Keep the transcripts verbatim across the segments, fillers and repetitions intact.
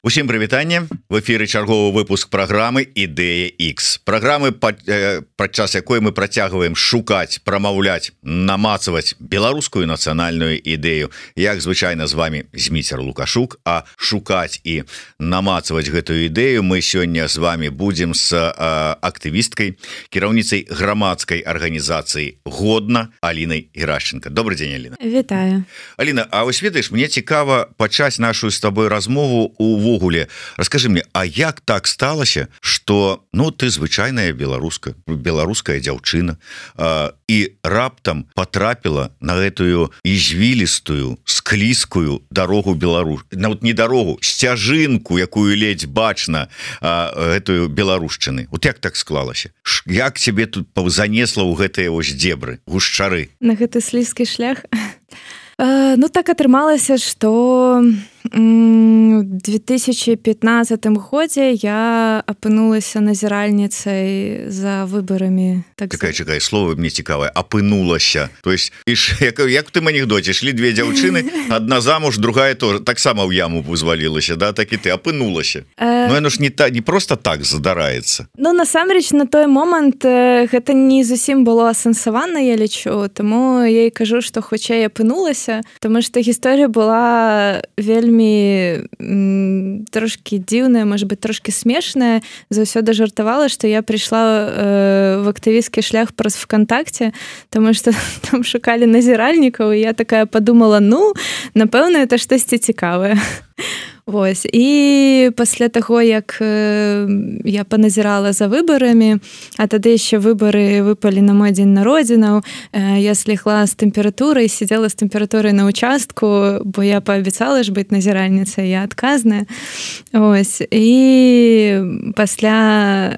Усім прывітанне, в эфіры чарговы выпуск праграмы Ідэя X. Праграмы, падчас якой мы працягваем шукаць, прамаўляць, намацаваць беларускую нацыянальную ідэю. Як звычайна з вами Зміцер Лукашук, а шукаць і намацаваць гэтую ідэю мы сёння з вами будзем з актывісткай, кіраўніцай грамадскай арганізацыі «Годна» Алінай Герашченко. Добрый дзень, Аліна. Вітаю. Аліна, а вось ведаеш, мне цікава пачаць нашу з табой размову у Вогуле. Раскажи мне, а як так сталася, что ну ты звычайная беларуска, беларуская дзяўчына а, і раптам потрапіла на гэтую ізвілістую, склізкую дарогу Беларусь, нават не дарогу, сцяжынку, якую ледзь бачна а, гэтую беларушчыны. Вот як так склалася? Як цябе тут занесла ў гэтыя вось дзебры, гушчары? На гэты слізкі шлях? Ну так атрымалася, што у две тысячи пятнадцатым годзе я апынулася назіральніцай за выбарамі. Так Такая, чакай, слово мне цікавае, апынулася. То есть, іш, як, як ты анекдоце, шлі две дзяўчыны, адна замуж, другая тоже, таксама ў яму вызвалілася, да, так і ты апынулася. Э... Ну, яно ж не, та, не просто так задараецца. Ну, насамрэч, на той момант гэта не зусім было асэнсавана, я лічу, таму я і кажу, што хутчэй апынулася, таму што гісторыя была вельмі трошки дзіўная, может быть, трошки смешная. Заўсёды жартавала, што я прыйшла э, в актывісцкі шлях праз ВКонтакте, тому што там шукалі назіральнікаў, і я такая подумала, ну, напэўна, это штосьці цікавае. Вось. І пасля таго, як я паназірала за выбарамі, а тады яшчэ выбары выпалі на мой дзень народзінаў, я слегла з тэмпературай, сидела з тэмпературай на участку, бо я паабяцала ж быць назіральніцай, я адказная. Ось. І пасля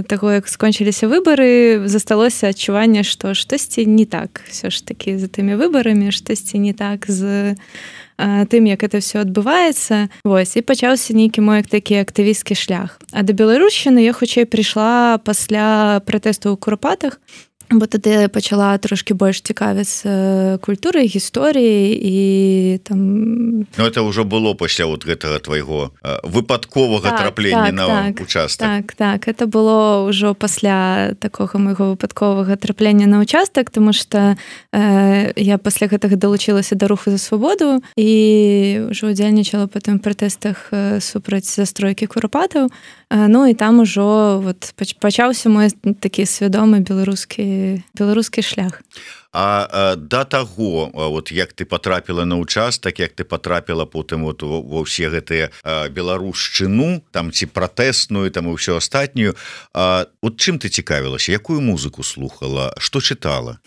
таго, як скончыліся выбары, засталося адчуванне, што штосьці не так. Всё ж такі за тымі выбарамі, штосьці не так з тым, як это все адбываецца. Вось, і пачаўся нейкі мой такі актывісцкі шлях. А да беларушчыны я хутчэй прыйшла пасля пратэсту ў Курапатах, бо тады пачала трошки больш цікавіцца культурай, гісторыяй і там... Ну, это ўжо было пасля вот гэтага твайго выпадковага так, траплення так, на так, участак. Так, так, это было ўжо пасля такога майго выпадковага траплення на участак, тому што э, я пасля гэтага далучылася да руху за свабоду і ўжо удзельнічала па тым пратэстах супраць застройкі Курапатаў. Ну і там ужо вот пачаўся мой такі свядомы беларускі беларускі шлях. А, а да таго, вот як ты потрапіла на участак, як ты потрапіла потым вот ва ўсе гэтыя беларушчыну, там ці пратэсную, там і ўсё астатнюю, а, вот чым ты цікавілася, якую музыку слухала, што чытала?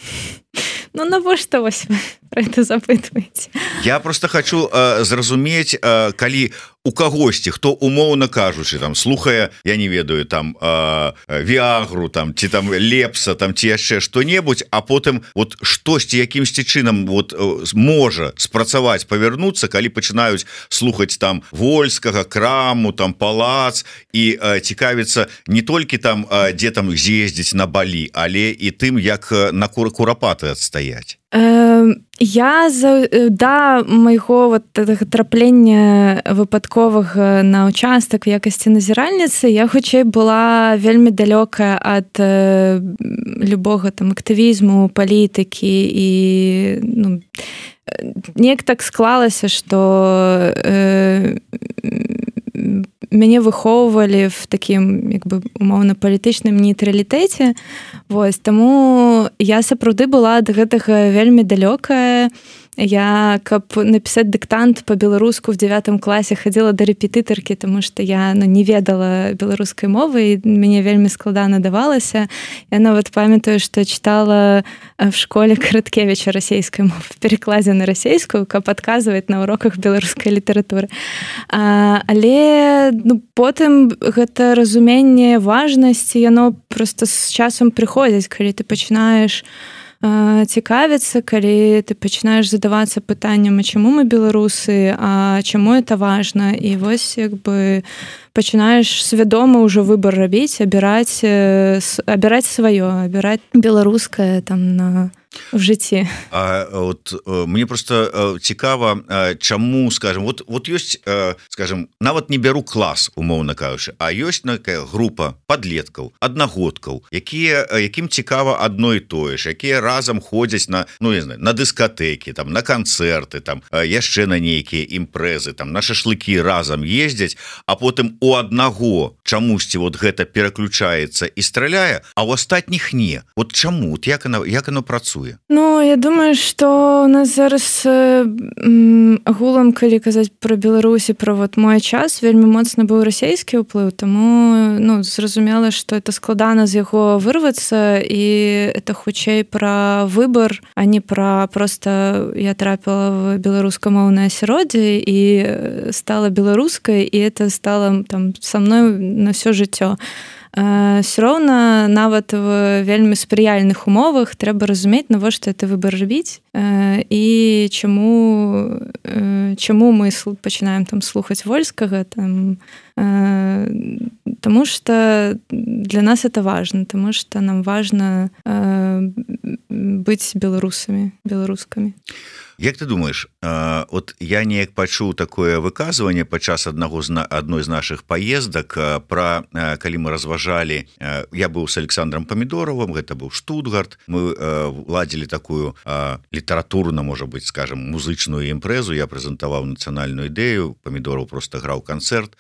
Ну, навошта вось вы пра гэта запытваеце? Я просто хочу а, зразумець, а, калі у кагосьці, хто умоўна кажучы, там слухае, я не ведаю, там а, Віагру, там ці там Лепса, там ці яшчэ што-небудзь, а потым вот штосьці якімсьці чынам вот можа спрацаваць, павярнуцца, калі пачынаюць слухаць там Вольскага, Краму, там Палац і а, цікавіцца не толькі там, а, дзе там з'ездзіць на Балі, але і тым, як на Курапаты адстаяць. Я да майго вот траплення выпадковага на участак в якасці назіральніцы я хутчэй была вельмі далёкая ад любога там актывізму, палітыкі і ну, неяк так склалася, што э, мяне выхоўвалі в такім як бы умоўна палітычным нейтралітэце. Вось, таму я сапраўды была ад гэтага вельмі далёкая. Я, каб напісаць дыктант па-беларуску в дзявятым класе хадзіла да рэпетытаркі, таму што я ну, не ведала беларускай мовы і мяне вельмі складана давалася. Я нават памятаю, што чытала в школе Караткевіча расейскай мовы в перакладзе на расейскую, каб адказваць на уроках беларускай літаратуры. А, але ну, потым гэта разуменне важнасці, яно проста з часам прыходзіць, калі ты пачынаеш цікавіцца, калі ты пачынаеш задавацца пытанням, а чаму мы беларусы, а чаму это важна, і вось як бы пачынаеш свядома ўжо выбар рабіць, абіраць абіраць сваё, абіраць беларускае там на в жыцці. А, от, мне просто цікава, чаму, скажем, вот, вот ёсць, скажем, нават не бяру клас, умоўна кажучы, а ёсць такая група падлеткаў, аднагодкаў, якія, якім цікава адно і тое ж, якія разам ходзяць на, ну, не знаю, на дыскатэкі, там, на канцэрты, там, яшчэ на нейкія імпрэзы, там, на шашлыкі разам ездзяць, а потым у аднаго чамусьці вот гэта пераключаецца і страляе, а ў астатніх не. Вот чаму? Вот як оно, як оно працуе? Ну, я думаю, што у нас зараз агулам, калі казаць пра Беларусь і пра вот мой час, вельмі моцна быў расійскі ўплыў, таму, ну, зразумела, што это складана з яго вырвацца, і это хутчэй пра выбар, а не пра просто я трапіла в беларускамоўнае асяроддзе і стала беларускай, і это стало там со мной на всё жыццё. Все роўна нават в вельмі спрыяльных умовах трэба разумець, навошта это выбар рабіць і чаму чаму мы пачынаем там слухаць вольскага там, таму што для нас это важно, таму што нам важна быць беларусамі, беларускамі. Як ты думаешь, от я неяк пачуў такое выказванне падчас аднаго з адной з нашых паездак пра, калі мы разважалі, я быў с Александром Помидоровым, гэта быў Штутгарт, мы ладзілі такую літаратурна, можа быць, скажем, музычную імпрэзу, я прэзентаваў нацыянальную ідэю, Помидоров просто граў канцэрт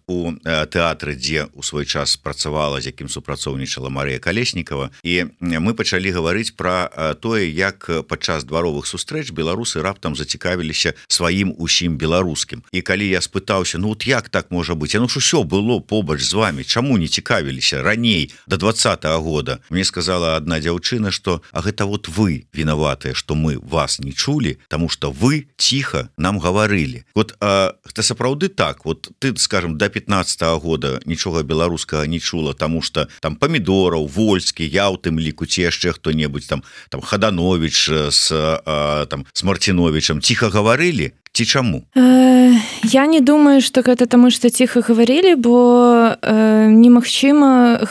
у тэатры, дзе у свой час працавала, з якім супрацоўнічала Марыя Калеснікава, і мы пачалі гаварыць пра тое, як падчас дваровых сустрэч беларусы раптам зацікавіліся сваім усім беларускім. І калі я спытаўся, ну вот як так можа быць? Ну ж усё было побач з вами, чаму не цікавіліся раней, до двадцатого года? Мне сказала одна дзяўчына, што а гэта вот вы вінаватыя, што мы вас не чулі, таму што вы ціха нам гаварылі. Вот а, гэта сапраўды так, вот ты, скажем, до пятнадцатого года нічога беларускага не чула, таму што там Помидоров, Вольскі, я ў тым ліку, ці яшчэ хто-небудзь там, там Хаданович с а, там с Мартиновичем ціха гаварылі, ці чаму? Я не думаю, што гэта таму, што ціха гаварылі, бо э, немагчыма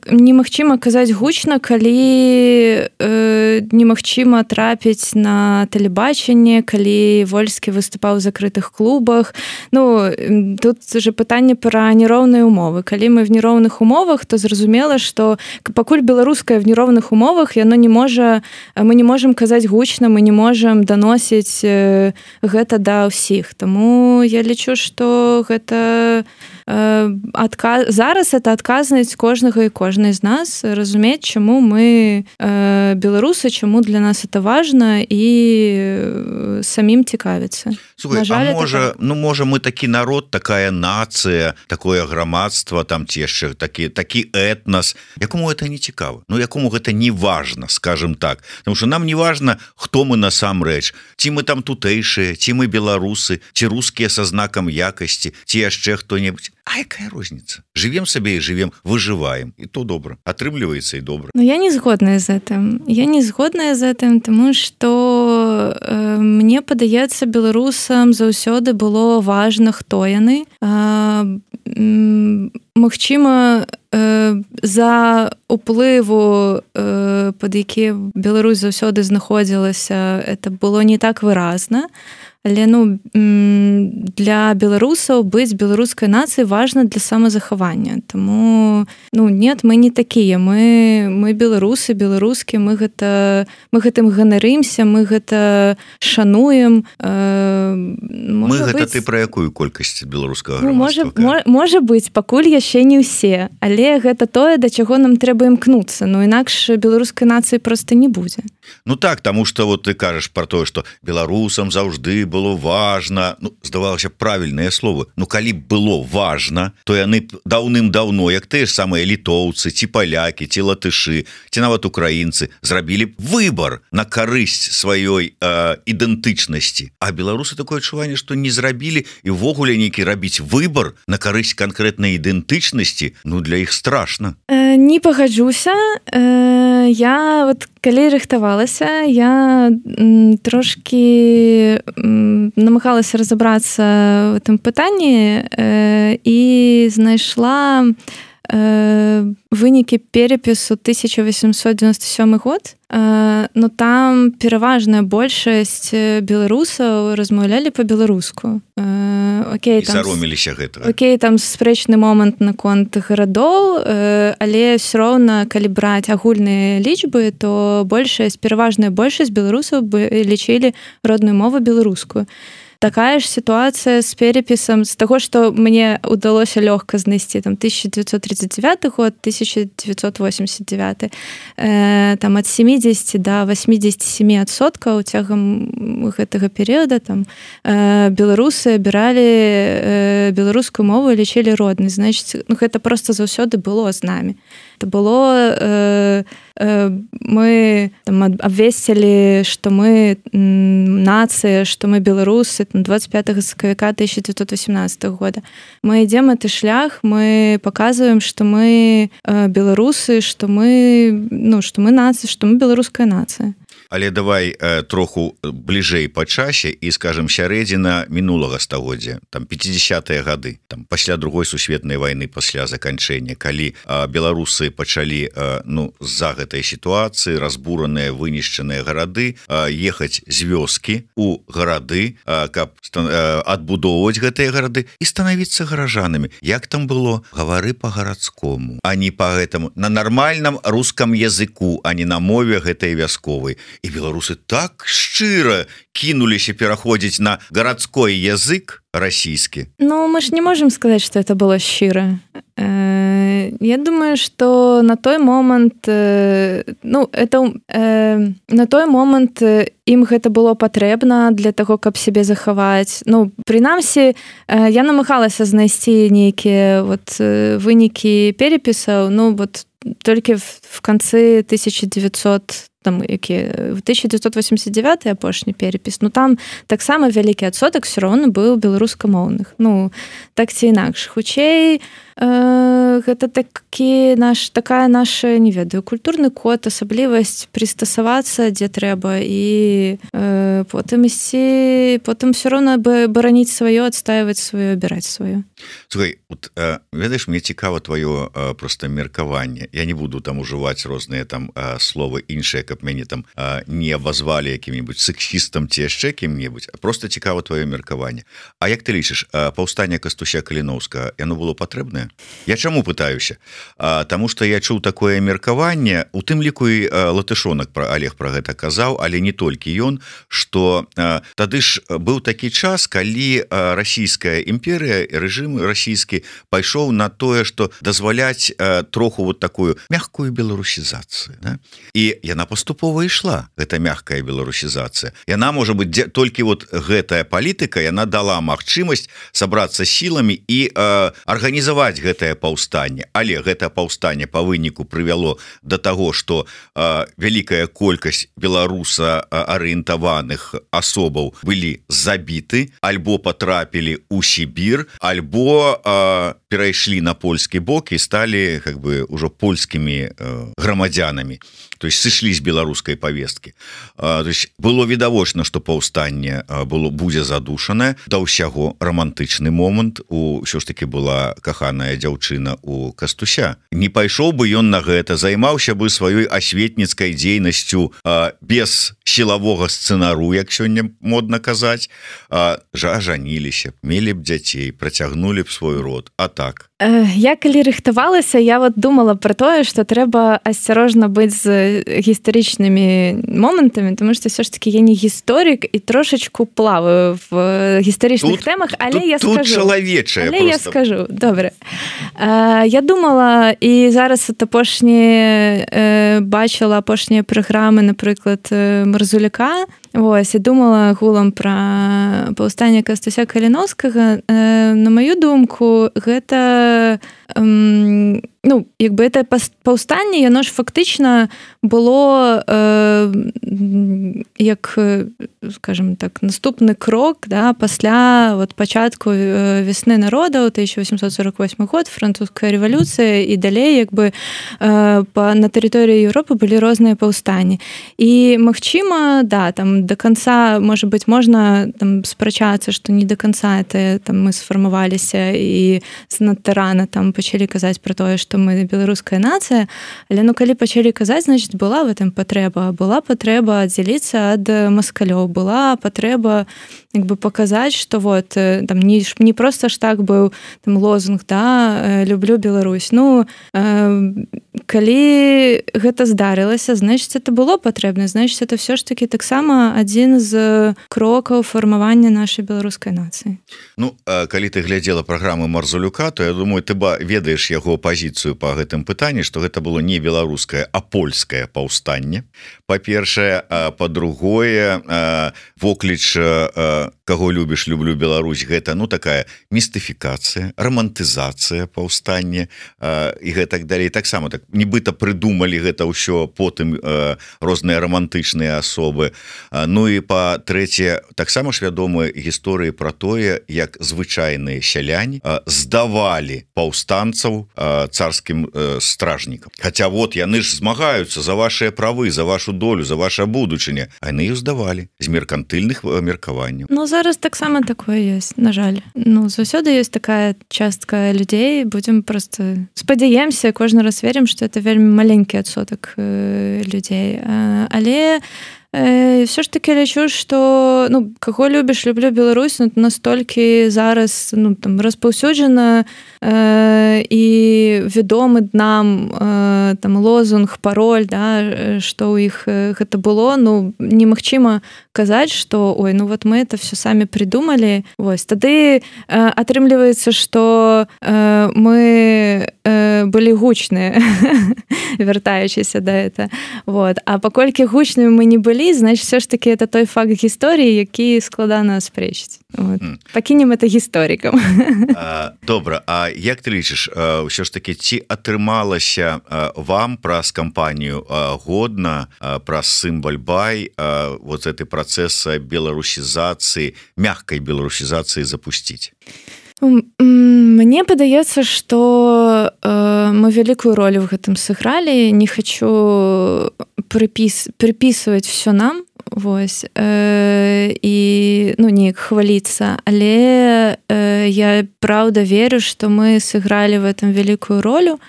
немагчыма казаць гучна, калі э, немагчыма трапіць на тэлебачанне, калі Вольскі выступаў у закрытых клубах. Ну, тут же пытанне пра нероўныя умовы. Калі мы в нероўных умовах, то зразумела, што пакуль беларускае в нероўных умовах, яно не можа, мы не можам казаць гучна, мы не можам даносіць э, гэта да ўсіх. Таму я лічу, што гэта э, адказ... зараз это адказнасць кожнага і кожнай з нас разумець, чаму мы э, беларусы, чаму для нас это важна і э, самім цікавіцца. Слухай, жаль, а можа, так... ну можа мы такі народ, такая нацыя, такое грамадства, там ці яшчэ такі, такі этнас, якому это не цікава, ну якому гэта не важна, скажем так, потому что нам не важна, хто мы насамрэч, ці мы там тутэйшыя, ці мы беларусы, ці рускія са знакам якасці, ці яшчэ хто-небудзь. А якая розніца? Живем сабе і живем, выжываем, і то добра, атрымліваецца і добра. Но я не згодная з гэтым. Я не згодная з гэтым, тому што э, мне падаецца, беларусам заўсёды было важна, хто яны. Э, магчыма, э, за уплыву, э, пад які Беларусь заўсёды знаходзілася, это было не так выразна. Але ну, для беларусаў быць беларускай нацыяй важна для самазахавання. Таму ну, нет, мы не такія. Мы, мы беларусы, беларускі, мы, гэта, мы гэтым ганарымся, мы гэта шануем. Э, мы гэта быць... ты пра якую колькасць беларускага ну, грамадства? Можа, можа быць, пакуль яшчэ не ўсе. Але гэта тое, да чаго нам трэба імкнуцца. Ну, інакш беларускай нацыі проста не будзе. Ну так, таму што вот ты кажаш пра тое, што беларусам заўжды было важна, ну, здавалася правільныя словы, ну калі б было важна, то яны даўным-даўно, як тыя ж самыя літоўцы, ці палякі, ці латышы, ці нават украінцы, зрабілі выбар на карысць сваёй э, ідэнтычнасці. А беларусы такое адчуванне, што не зрабілі і ўвогуле нейкі рабіць выбар на карысць канкрэтнай ідэнтычнасці, ну для іх страшна. Э, не пагаджуся. Э, я вот калі рыхтавалася, я м, трошкі м, намагалася разабрацца в этом пытанні э, і знайшла вынікі перапісу тысяча восемьсот девяносто сёмы год, но там пераважная большасць беларусаў размаўлялі па-беларуску. Окей, там, сароміліся гэтага. Окей, там спрэчны момант наконт гарадоў, але ўсё роўна, калі браць агульныя лічбы, то большасць, пераважная большасць беларусаў лічылі родную мову беларускую. Такая ж ситуация с переписом, с того, что мне удалось легко знайсці, там, тысяча девятьсот тридцать девятый год, тысяча девятьсот восемьдесят девятый, э, там, от семидесяти до восьмидесяти семи адсоткаў цягам гэтага перыяда, там, э, беларусы абіралі э, беларускую мову і лічылі роднай. Значит, ну, гэта просто заўсёды было з намі. Это было... Э, мы там абвесцілі, што мы нацыя, што мы беларусы двадцать пятого сакавіка тысяча девятьсот восемнадцатого года. Мы ідзем гэты шлях, мы паказваем, што мы беларусы, што мы, ну, што мы нацыя, што мы беларуская нацыя. Але давай э, троху бліжэй па часе і, скажем, сярэдзіна мінулага стагоддзя, там пятидесятые гады, там пасля другой сусветнай вайны, пасля заканчэння, калі э, беларусы пачалі э, ну з-за гэтай сітуацыі, разбураныя, вынішчаныя гарады, э, ехаць з вёскі у гарады, э, каб э, адбудоўваць гэтыя гарады і станавіцца гаражанамі. Як там было? Гавары па-гарадскому, а не па гэтаму, на нармальным рускам языку, а не на мове гэтай вясковай. І беларусы так шчыра кінуліся пераходзіць на гарадской язык расійскі. Ну, мы ж не можем сказать, что это было шчыра. Я думаю, что на той момант, ну, это на той момант ім гэта было патрэбна для таго, каб сябе захаваць. Ну, прынамсі, я намагалася знайсці нейкія вот вынікі перепісаў, ну, вот толькі в канцы тысяча девятьсот там, які, в тысяча девятьсот восемьдесят девятый апошні перепіс, ну там таксама вялікі адсотак все роўна быў беларускамоўных. Ну, так ці інакш. Хутчэй, э, гэта такі наш, такая наша, не ведаю, культурны код, асаблівасць прыстасавацца, дзе трэба, і э, потым ісці, потым все роўна бараніць сваё, адстаиваць сваё, абіраць сваё. Слухай, вот, э, ведаеш, мне цікава твоё э, просто меркаванне. Я не буду там ужываць розныя там э, словы іншыя, каб мяне там э, не абазвалі якім-небудзь сексістам ці яшчэ кім-небудзь. Просто цікава твоё меркаванне. А як ты лічыш, э, паўстанне Кастуся Каліноўскага, яно было патрэбнае? Я чаму пытаюся? А, таму што я чуў такое меркаванне, у тым ліку і Латышонак пра Олег пра гэта казаў, але не толькі ён, што а, тады ж быў такі час, калі а, расійская імперыя, рэжым расійскі пайшоў на тое, што дазваляць а, троху вот такую мягкую беларусізацыю, да? І яна паступова ішла, гэта мягкая беларусізацыя. Яна, можа быць, дзе, толькі вот гэтая палітыка, яна дала магчымасць сабрацца сіламі і а, арганізаваць гэтае паўстанне. Але гэта паўстанне па выніку прывяло да таго, што а, вялікая колькасць беларуса арыентаваных асобаў былі забіты, альбо потрапілі ў Сібір, альбо а, перайшлі на польскі бок і сталі как бы ўжо польскімі а, грамадзянамі. То есть сышлі з беларускай павесткі. А, то есть было відавочна, што паўстанне было будзе задушанае, да ўсяго романтычны момант, у ўсё ж таки была каханая дзяўчына у Кастуся. Не пайшоў бы ён на гэта, займаўся бы сваёй асветніцкай дзейнасцю а, без сілавога сцэнару, як сёння модна казаць, а, жа жаніліся, мелі б дзяцей, працягнулі б свой род. А так. Я калі рыхтавалася, я вот думала про тое, што трэба асцярожна быць з гістарычнымі момантамі, тому што все ж таки я не гісторык і трошечку плаваю в гістарычных тут, тэмах, але тут, я тут скажу. Чалавечая але просто. я скажу, добре. Я думала, і зараз от апошні бачила апошнія праграмы, напрыклад, Марзуляка, ось, і думала гулам пра паўстанне Кастуся Каліноўскага. На маю думку, гэта ну, якби это паўстанне, яно ж фактычна было э, як, скажем так, наступны крок, да, пасля вот пачатку весны народаў, тысяча восемьсот сорок восьмы год, французская рэвалюцыя, і далей як бы э, па, на тэрыторыі Еўропы былі розныя паўстанні. І магчыма, да, там до конца, можа быць, можна там спрачацца, што не до конца это там мы сфармаваліся і занадта рана там пачалі казаць пра тое, што што мы беларуская нацыя, але ну калі пачалі казаць, значит была в этом патрэба, была патрэба аддзяліцца ад маскалёў, была патрэба як бы паказаць, што вот там не, не проста ж так быў там лозунг, да, люблю Беларусь. Ну калі гэта здарылася, значит это было патрэбна, значит это все ж таки таксама адзін з крокаў фармавання нашай беларускай нацыі. Ну калі ты глядзела праграму Марзулюка, то я думаю, ты ба ведаеш яго пазіцыю па гэтым пытанні, што гэта было не беларускае, а польскае паўстанне. Па-першае, па-другое, вокліч каго любіш, люблю Беларусь, гэта ну такая містыфікацыя, романтызацыя паўстання і гэтак далей. Таксама так нібыта прыдумалі гэта ўсё потым розныя романтычныя асобы. Ну і па-трэцяе, таксама ж вядомыя гісторыі пра тое, як звычайныя сяляне здавалі паўстанцаў царскім стражнікам. Хаця вот яны ж змагаюцца за вашыя правы, за вашу долю, за ваша будучыня, а яны іх здавалі з меркантыльных меркаванняў. Ну зараз таксама такое ёсць, на жаль. Ну заўсёды ёсць такая частка людзей, будзем просто спадзяемся, кожны раз верым, што это вельмі маленькі адсотак людзей. Але все ж таки лічу, што ну, каго любіш, люблю Беларусь, ну, настолькі зараз ну, там, распаўсюджана э, і вядомы нам э, там, лозунг, пароль, да, што ў іх гэта было, ну, немагчыма казаць, што ой, ну вот мы это все самі придумалі. Вось, тады э, атрымліваецца, што э, мы э, былі гучныя, вяртаючыся да это. Вот. А паколькі гучнымі мы не былі, значит, все ж таки это той факт гісторыі, які складана аспрэчыць. Вот. Mm. Пакінем это гісторыкам. Добра, а як ты лічыш, ўсё ж таки ці атрымалася вам праз кампанію годна, праз сімвол бай вот гэты працэс беларусізацыі, мягкай беларусізацыі запусціць? Мне падаецца, што э, мы вялікую ролю в гэтым сыгралі. Не хочу припіс, припісваць все нам, вось, э, і ну, неяк хваліцца, але э, я правда верю, што мы сыгралі в этом вялікую ролю,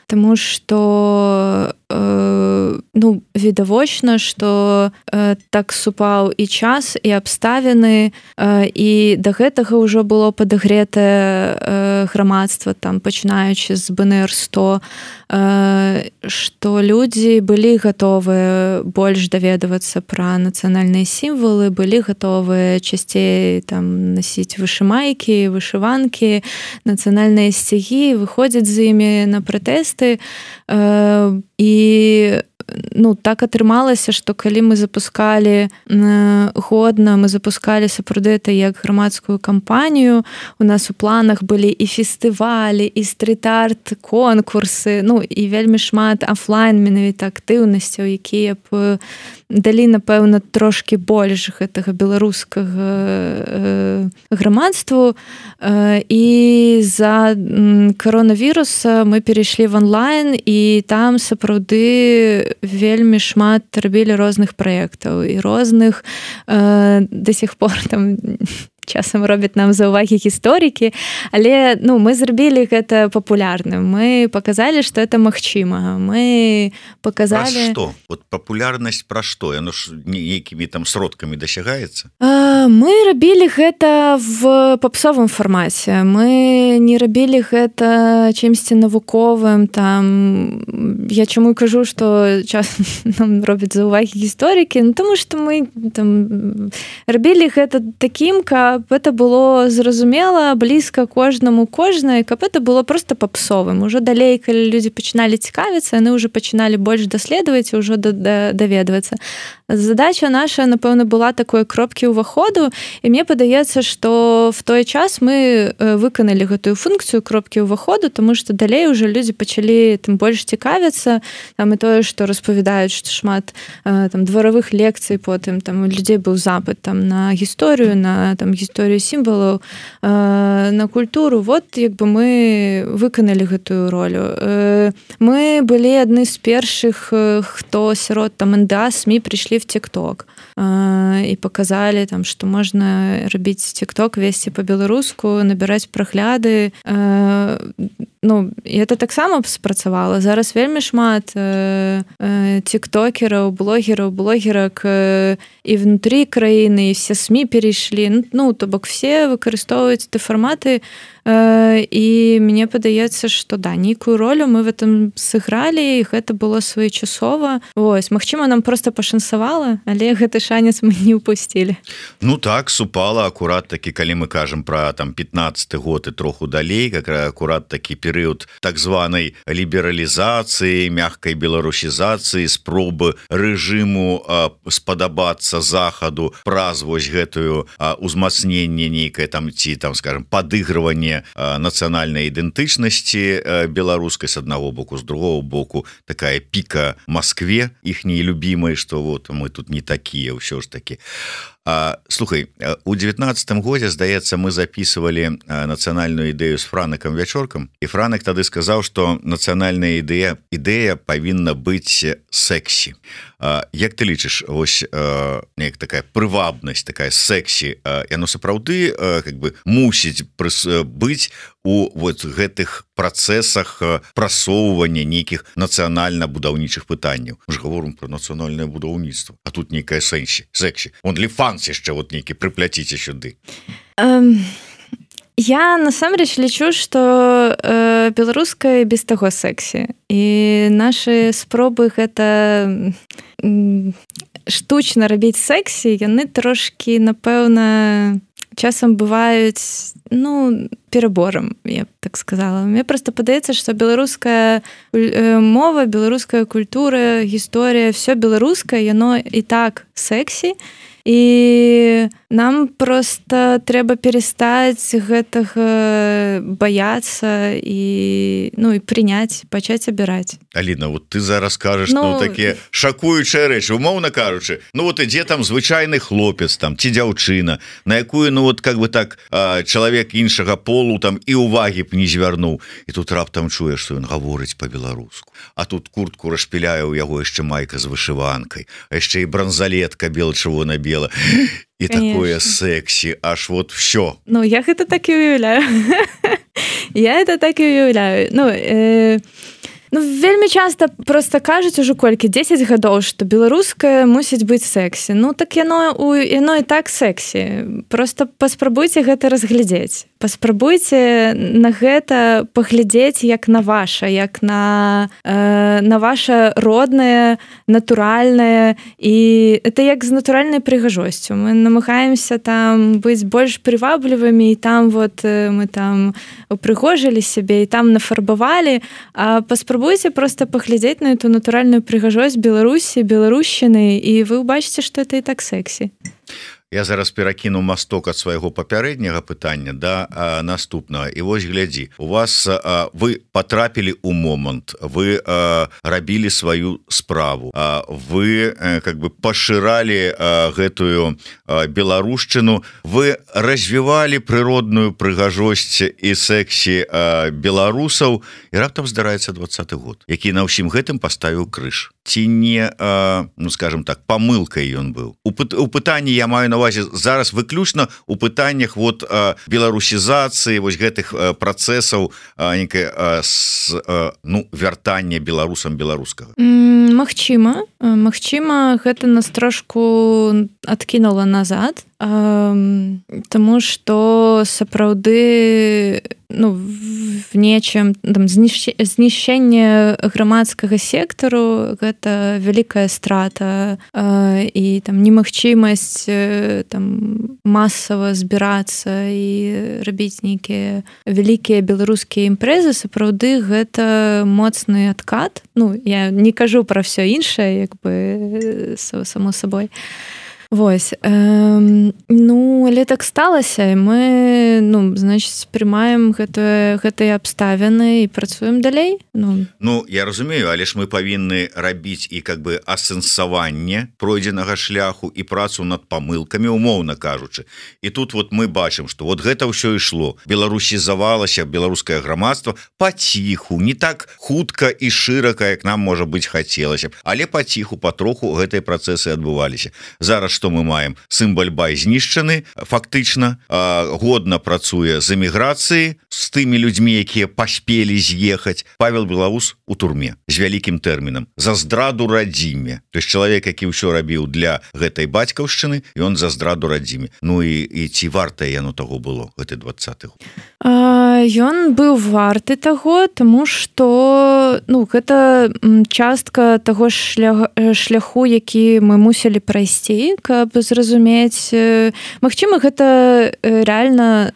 таму што э, ну, відавочна, што э, так супаў і час, і абставіны, э, і да гэтага ўжо было падагретае э, грамадства, там, пачынаючы з бэ эн эр сто, э, што людзі былі гатовыя больш даведавацца пра нацыянальныя сімвалы, былі гатовыя часцей там, насіць вышымайкі, вышыванкі, нацыянальныя сцягі, выходзіць з імі на пратэсты, э, і ну, так атрымалася, што калі мы запускалі годна, мы запускалі сапраўды это як грамадскую кампанію, у нас у планах былі і фестывалі, і стрит-арт конкурсы, ну і вельмі шмат офлайн менавіта актыўнасцяў, якія б далі, напэўна, трошкі больш гэтага беларускага э, грамадству. Э, і за коронавіруса мы перайшлі в онлайн, і там сапраўды вельмі шмат рабілі розных праектаў і розных э, до сих пор там часам робяць нам заўвагі гісторыкі, але ну, мы зрабілі гэта папулярным. Мы паказалі, што это магчыма. Мы паказалі... Пра што? Вот папулярнасць пра што? Яно ж нейкімі там сродкамі дасягаецца? А, мы рабілі гэта в папсовым фармаце. Мы не рабілі гэта чымсьці навуковым. Там... Я чаму кажу, што часам нам робяць заўвагі гісторыкі? Ну, таму што мы там, рабілі гэта такім, каб это было зразумела, блізка кожнаму кожнай, каб это было просто папсовым. Ужо далей, калі людзі пачыналі цікавіцца, яны ўжо пачыналі больш даследаваць і ўжо даведвацца. Задача наша, напэўна, была такой кропкі ўваходу, і мне падаецца, што в той час мы выканалі гэтую функцыю кропкі ўваходу, таму што далей уже людзі пачалі тым больш цікавіцца, там і тое, што распавядаюць, што шмат там дваравых лекцый, потым там у людзей быў запыт там на гісторыю, на там гісторыю сімвалаў, на культуру. Вот як бы мы выканалі гэтую ролю. Мы былі адны з першых, хто сярод там эн дэ а СМІ прыйшлі в TikTok і показалі там, што можна рабіць TikTok, весці па-беларуску, набіраць прагляды. ну і это таксама спрацавала. Зараз вельмі шмат э, э, тиктокераў, блогераў, блогерак э, і внутрі краіны, і все СМІ перейшлі. Ну, то бок все выкарыстоўваюць ты фарматы, э, і мне падаецца, што да, нейкую ролю мы в этом сыгралі, і гэта было своечасова. Вось, магчыма, нам просто пашанцавала, але гэты шанец мы не упусцілі. Ну так, супала акурат такі, калі мы кажам пра там пятнаццаты год і троху далей, как акурат такі перыяд так званай лібералізацыі, мягкай беларусізацыі, спробы рэжыму а, спадабацца захаду праз вось гэтую а, узмацненне нейкае там ці там, скажем, падыгрыванне а, нацыянальнай ідэнтычнасці а, беларускай з аднаго боку, з другого боку такая піка Москве, іхняй любімай, што вот мы тут не такія, ўсё ж такі. А, слухай, у девятнадцатым годзе, здаецца, мы записывалі нацыянальную ідэю з Франыкам Вячоркам, і Франак тады сказаў, што нацыянальная ідэя ідэя павінна быць сексі. А, як ты лічыш, вось неяк такая прывабнасць, такая сексі, яно сапраўды как бы мусіць быць у вот гэтых працэсах прасоўвання нейкіх нацыянальна-будаўнічых пытанняў. Мы ж гаворым пра нацыянальнае будаўніцтва, а тут нейкая сэнсі, сексі. Он ліфанс яшчэ вот нейкі прыпляціце сюды. Um... Я насамрэч лічу, што э, беларуская без таго сексі. І нашы спробы гэта э, штучна рабіць сексі, яны трошкі, напэўна, часам бываюць, ну, пераборам, я б так сказала. Мне проста падаецца, што беларуская мова, беларуская культура, гісторыя, все беларускае, яно і так сексі. І нам просто трэба перестаць гэтага баяцца і, ну, і прыняць, пачаць абіраць. Аліна, вот ты зараз кажаш, ну, ну такія шакуючыя рэчы, умоўна кажучы. Ну вот ідзе там звычайны хлопец там ці дзяўчына, на якую, ну вот как бы так чалавек іншага полу там і увагі б не звярнуў. І тут раптам чуе, што ён гаворыць па-беларуску. А тут куртку распіляе, у яго яшчэ майка з вышыванкай, а яшчэ і бранзалетка бел-чырвона-белая. І такое сексі, аж вот все. Ну, я гэта так і уяўляю. Я это так і уяўляю. Ну, э, ну, вельмі часта просто кажуць ужо колькі, дзесяць гадоў, што беларускае мусіць быць сексі. Ну, так яно, яно і так сексі. Просто паспрабуйце гэта разглядзець. Паспрабуйце на гэта паглядзець як на ваша, як на, э, на ваша роднае, натуральнае, і это як з натуральнай прыгажосцю. Мы намагаемся там быць больш прываблівымі, і там вот мы там упрыгожылі сябе, і там нафарбавалі, а паспрабуйце просто паглядзець на эту натуральную прыгажосць Беларусі, беларушчыны, і вы ўбачыце, што это і так сексі. Я зараз перакіну масток ад свайго папярэдняга пытання да а, наступнага. І вось глядзі, у вас а, вы патрапілі ў момант, вы а, рабілі сваю справу, а, вы а, как бы пашыралі а, гэтую а, беларушчыну, вы развівалі прыродную прыгажосць і сексі а, беларусаў, і раптам здараецца двадцаты год, які на ўсім гэтым паставіў крыж. Ці не, а, ну скажем так, памылкай ён быў. У, у пытанні я маю на увазе зараз выключна у пытаннях вот а, беларусізацыі, вось гэтых а, працэсаў а, некае а, с, а, ну, вяртання беларусам беларускага. Магчыма, магчыма, гэта нас трошку адкінула назад, тому што сапраўды, ну, в нечым там знішчэнне грамадскага сектару гэта вялікая страта, і там немагчымасць там масава збірацца і рабіць нейкія вялікія беларускія імпрэзы, сапраўды гэта моцны адкат. Ну, я не кажу пра ўсё іншае, як бы само сабой. Вось, э, ну, але так сталася, і мы, ну, значыць, прымаем гэтыя, гэтыя абставіны і працуем далей. Ну. ну, я разумею, але ж мы павінны рабіць і как бы асэнсаванне пройдзенага шляху і працу над памылкамі, умоўна кажучы. І тут вот мы бачым, што вот гэта ўсё ішло. Беларусізавалася беларускае грамадства паціху, не так хутка і шырака, як нам, можа быць, хацелася б, але паціху, патроху гэтыя працэсы адбываліся. Зараз што мы маем? Сын Бальбай знішчаны фактычна, годна працуе з эміграцыі з тымі людзьмі, якія паспелі з'ехаць. Павел Белаус у турме з вялікім тэрмінам за здраду радзіме. То есть чалавек, які ўсё рабіў для гэтай бацькаўшчыны, ён за здраду радзіме. Ну і, і ці вартае яно таго было гэты двадцаты год? Ён быў варты таго, таму што ну гэта частка таго шлях, шляху, які мы мусілі прайсці, каб зразумець. Магчыма, гэта рэальна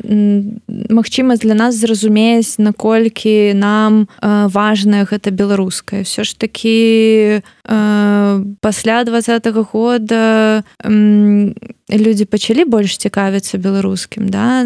магчымасць для нас зразумець, наколькі нам важная гэта беларуская. Всё ж такі пасля двадцатага года людзі пачалі больш цікавіцца беларускім, да?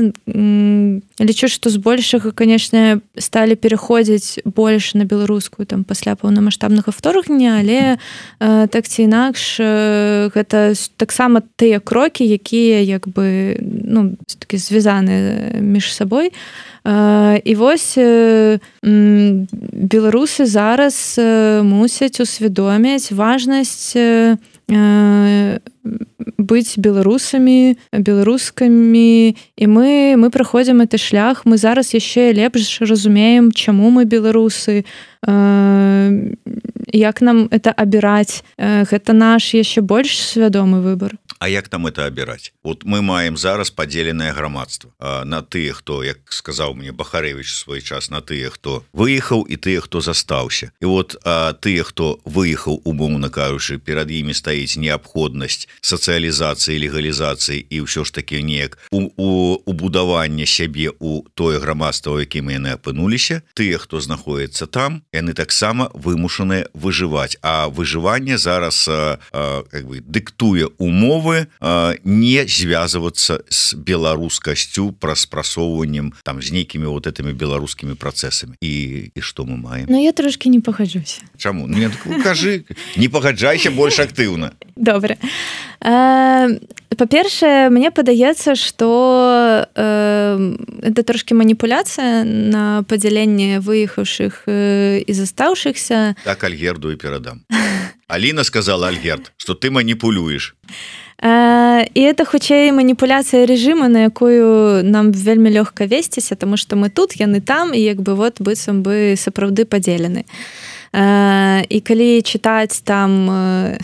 Лічу, што збольшага, канешне, сталі пераходзіць больш на беларускую там пасля паўнамаштабнага вторгнення, але э, так ці інакш э, гэта таксама тыя крокі, якія як бы ну такі звязаны між сабой. Э, і вось э, беларусы зараз э, мусяць усвядоміць важнасць э, быць беларусамі, беларускамі, і мы, мы праходзім гэты шлях, мы зараз яшчэ лепш разумеем, чаму мы беларусы, як нам это абіраць. Гэта наш яшчэ больш свядомы выбар. А як там это абіраць? Вот мы маем зараз падзеленае грамадства на тыя, хто, як сказаў мне Бахарэвіч свой час, на тыя, хто выехаў і тыя, хто застаўся. І вот а, тыя, хто выехаў, умоўна кажучы, перад імі стаіць неабходнасць сацыялізацыі, легалізацыі і ўсё ж такі неяк у, у, убудавання сябе у тое грамадства, у якім яны апынуліся. Тыя, хто знаходіцца там, яны таксама вымушаныя выжываць. А выжыванне зараз а, а, как бы, дыктуе умовы не звязвацца з беларускасцю праз прасоўваннем там з нейкімі вот этими беларускімі працэсамі. І, і што мы маем? Ну, я трошки не пагаджуся. Чаму? Ну, кажы, не пагаджайся больш актыўна. Добре. Па-першае, мне падаецца, што это трошки маніпуляцыя на падзяленне выехаўшых і застаўшыхся. Так Альгерду і перадам. Аліна сказала, Альгерд, што ты маніпулюеш. І это хутчэй маніпуляцыя рэжыма, на якую нам вельмі лёгка весціся, таму што мы тут, яны там, і як бы вот быццам бы сапраўды падзелены. І калі чытаць там,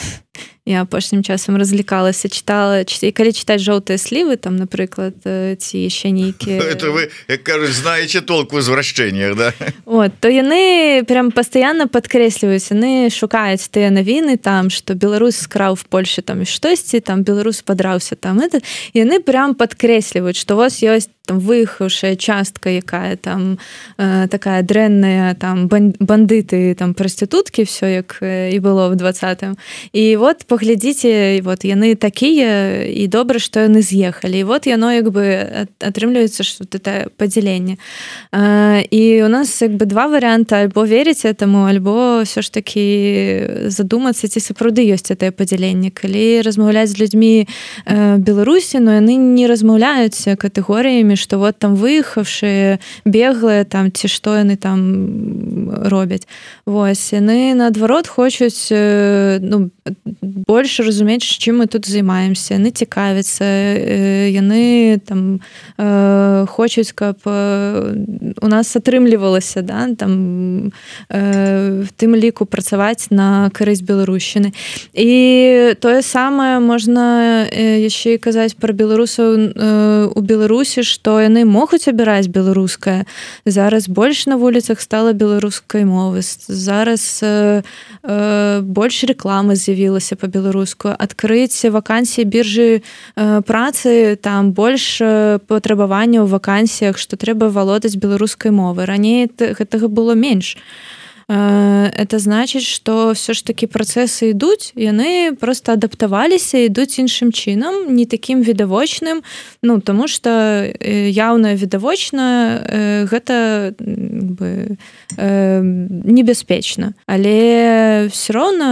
я апошнім часам разлікалася, чытала, і калі чытаць жоўтыя слівы, там, напрыклад, ці яшчэ нейкія... Это вы, як кажуць, знаеце толк у звращэннях, да? Вот, то яны прям пастаянна падкрэсліваюць, яны шукаюць тыя навіны там, што беларус скраў в Польшы там штосьці, там беларус падраўся там, это, яны прям падкрэсліваюць, што у вас ёсць там выехаўшая частка, якая там э, такая дрэнная, там бандыты, там прастытуткі, всё як і было в двадцатым. І вот паглядзіце, вот яны такія, і добра, што яны з'ехалі. І вот яно як бы атрымліваецца, што это падзяленне. Э, і у нас як бы два варыянты: альбо верыць этому, альбо ўсё ж такі задумацца, ці сапраўды ёсць гэтае падзяленне. Калі размаўляць з людзьмі э, Беларусі, но яны не размаўляюць катэгорыямі, што вот там выехаўшыя, беглыя там, ці што яны там робяць. Вось, яны наадварот хочуць ну, больш разумець, чым мы тут займаемся. Яны цікавяцца, яны там хочуць, каб у нас атрымлівалася, да, там в тым ліку працаваць на карысць беларушчыны. І тое самае можна яшчэ і казаць пра беларусаў у Беларусі, што яны могуць абіраць беларускае. Зараз больш на вуліцах стала беларускай мовы. Зараз э, э, больш рэкламы з'явілася па-беларуску. Адкрыць вакансіі біржы э, працы, там больш э, патрабаванняў у вакансіях, што трэба валодаць беларускай мовы. Раней гэтага было менш. Это значыць, што ўсё ж такі працэсы ідуць, яны проста адаптаваліся, ідуць іншым чынам, не такім відавочным, ну, таму што яўна відавочна гэта бы, небяспечна. Але ўсё роўна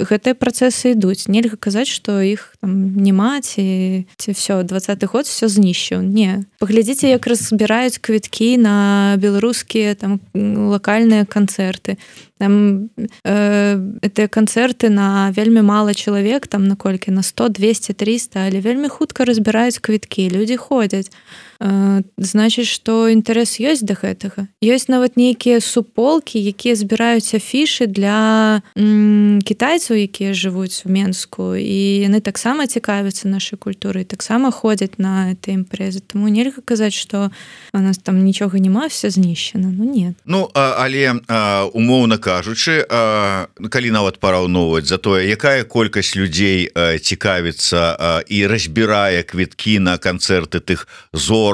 гэтыя працэсы ідуць. Нельга казаць, што іх там няма, ці, ці всё, двадцаты год всё знішчыў. Не. Паглядзіце, як разбіраюць квіткі на беларускія там лакальныя канцэрты. там э, это канцэрты на вельмі мала чалавек, там наколькі на сто двести триста, але вельмі хутка разбіраюць квіткі, людзі ходзяць. Э, значыць, што інтарэс ёсць да гэтага. Ёсць нават нейкія суполкі, якія збіраюць афішы для м, кітайцаў, якія жывуць у Менску, і яны таксама цікавяцца нашай культурай, таксама ходзяць на этой імпрэзы. Таму нельга казаць, што у нас там нічога няма, все знішчана. Ну не. Ну, а, але а, умоўна кажучы, а, калі нават параўноўваць за тое, якая колькасць людзей а, цікавіцца а, і разбірае квіткі на канцэрты тых зорак,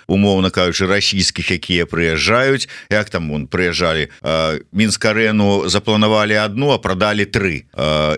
умоўна кажучы, расійскіх, якія прыязджаюць, як там вон прыязджалі, Мінск-арэну запланавалі одну, а прадалі тры.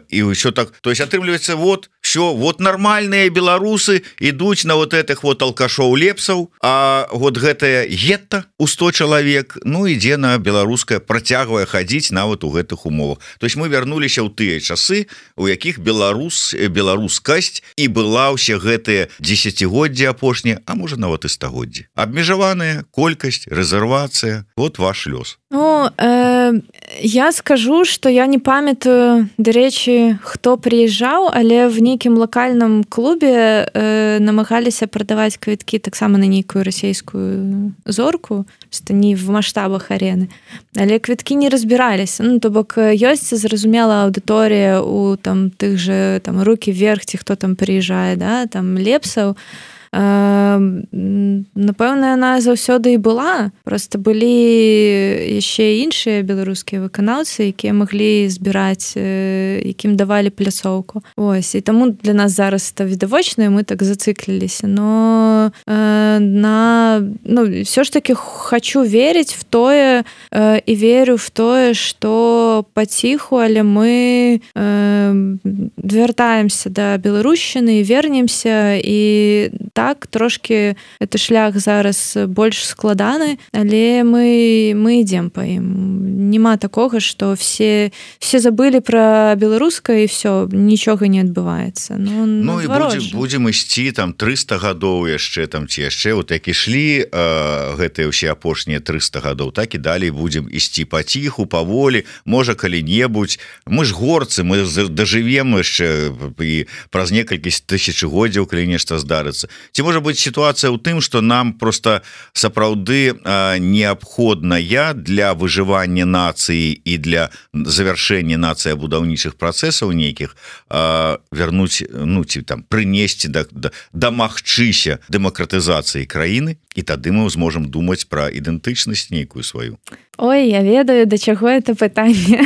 І ўсё так, то есть атрымліваецца, вот, все, вот нормальныя беларусы ідуць на вот этих вот алкашоў лепсаў, а вот гэтае гетта у сто чалавек, ну, ідзе на беларускае, працягвае хадзіць нават у гэтых умовах. То есть мы вярнуліся ў тыя часы, у якіх беларус, беларускасць і была ўсе гэтыя дзесяцігоддзі апошнія, а можа нават і стагоддзі. Абмежаваная колькасць, рэзервацыя, вот ваш лёс. Ну, э, я скажу, што я не памятаю, дарэчы, хто прыязджаў, але в нейкім лакальным клубе э, намагаліся прадаваць квіткі таксама на нейкую расійскую зорку, што не в маштабах арены. Але квіткі не разбіраліся. Ну, то бок ёсць зразумела аўдыторыя у там тых же там рукі вверх, ці хто там прыязджае, да, там лепсаў. Напэўна, яна заўсёды і была. Проста былі яшчэ іншыя беларускія выканаўцы, якія маглі збіраць, якім давалі пляцоўку. Ось, і таму для нас зараз это відавочна, і мы так зацыкліліся. Но э, на, ну, все ж таки хочу верыць в тое э, і верю в тое, што паціху, але мы э, вяртаемся да беларушчыны і вернемся, і так, трошки это шлях зараз больш складаны, але мы, мы ідзем па ім. Нема такога, што все, все забылі пра беларускае і все, нічога не адбываецца. Ну, ну і будзем, будзем ісці там трыста гадоў яшчэ, там ці яшчэ, вот як ішлі э, гэтыя ўсе апошнія трыста гадоў, так і далей будзем ісці паціху, паволі, можа калі-небудзь. Мы ж горцы, мы дажывем яшчэ і праз некалькі тысячагоддзяў, калі нешта здарыцца. Ці можа быць сітуацыя ў тым, што нам просто сапраўды неабходная для выжывання нацыі і для завяршэння нацыя будаўнічых працэсаў нейкіх вярнуць, ну, ці там прынесці да, да, дамагчыся дэмакратызацыі краіны, і тады мы зможам думаць пра ідэнтычнасць нейкую сваю. Ой, я ведаю, да чаго это пытанне.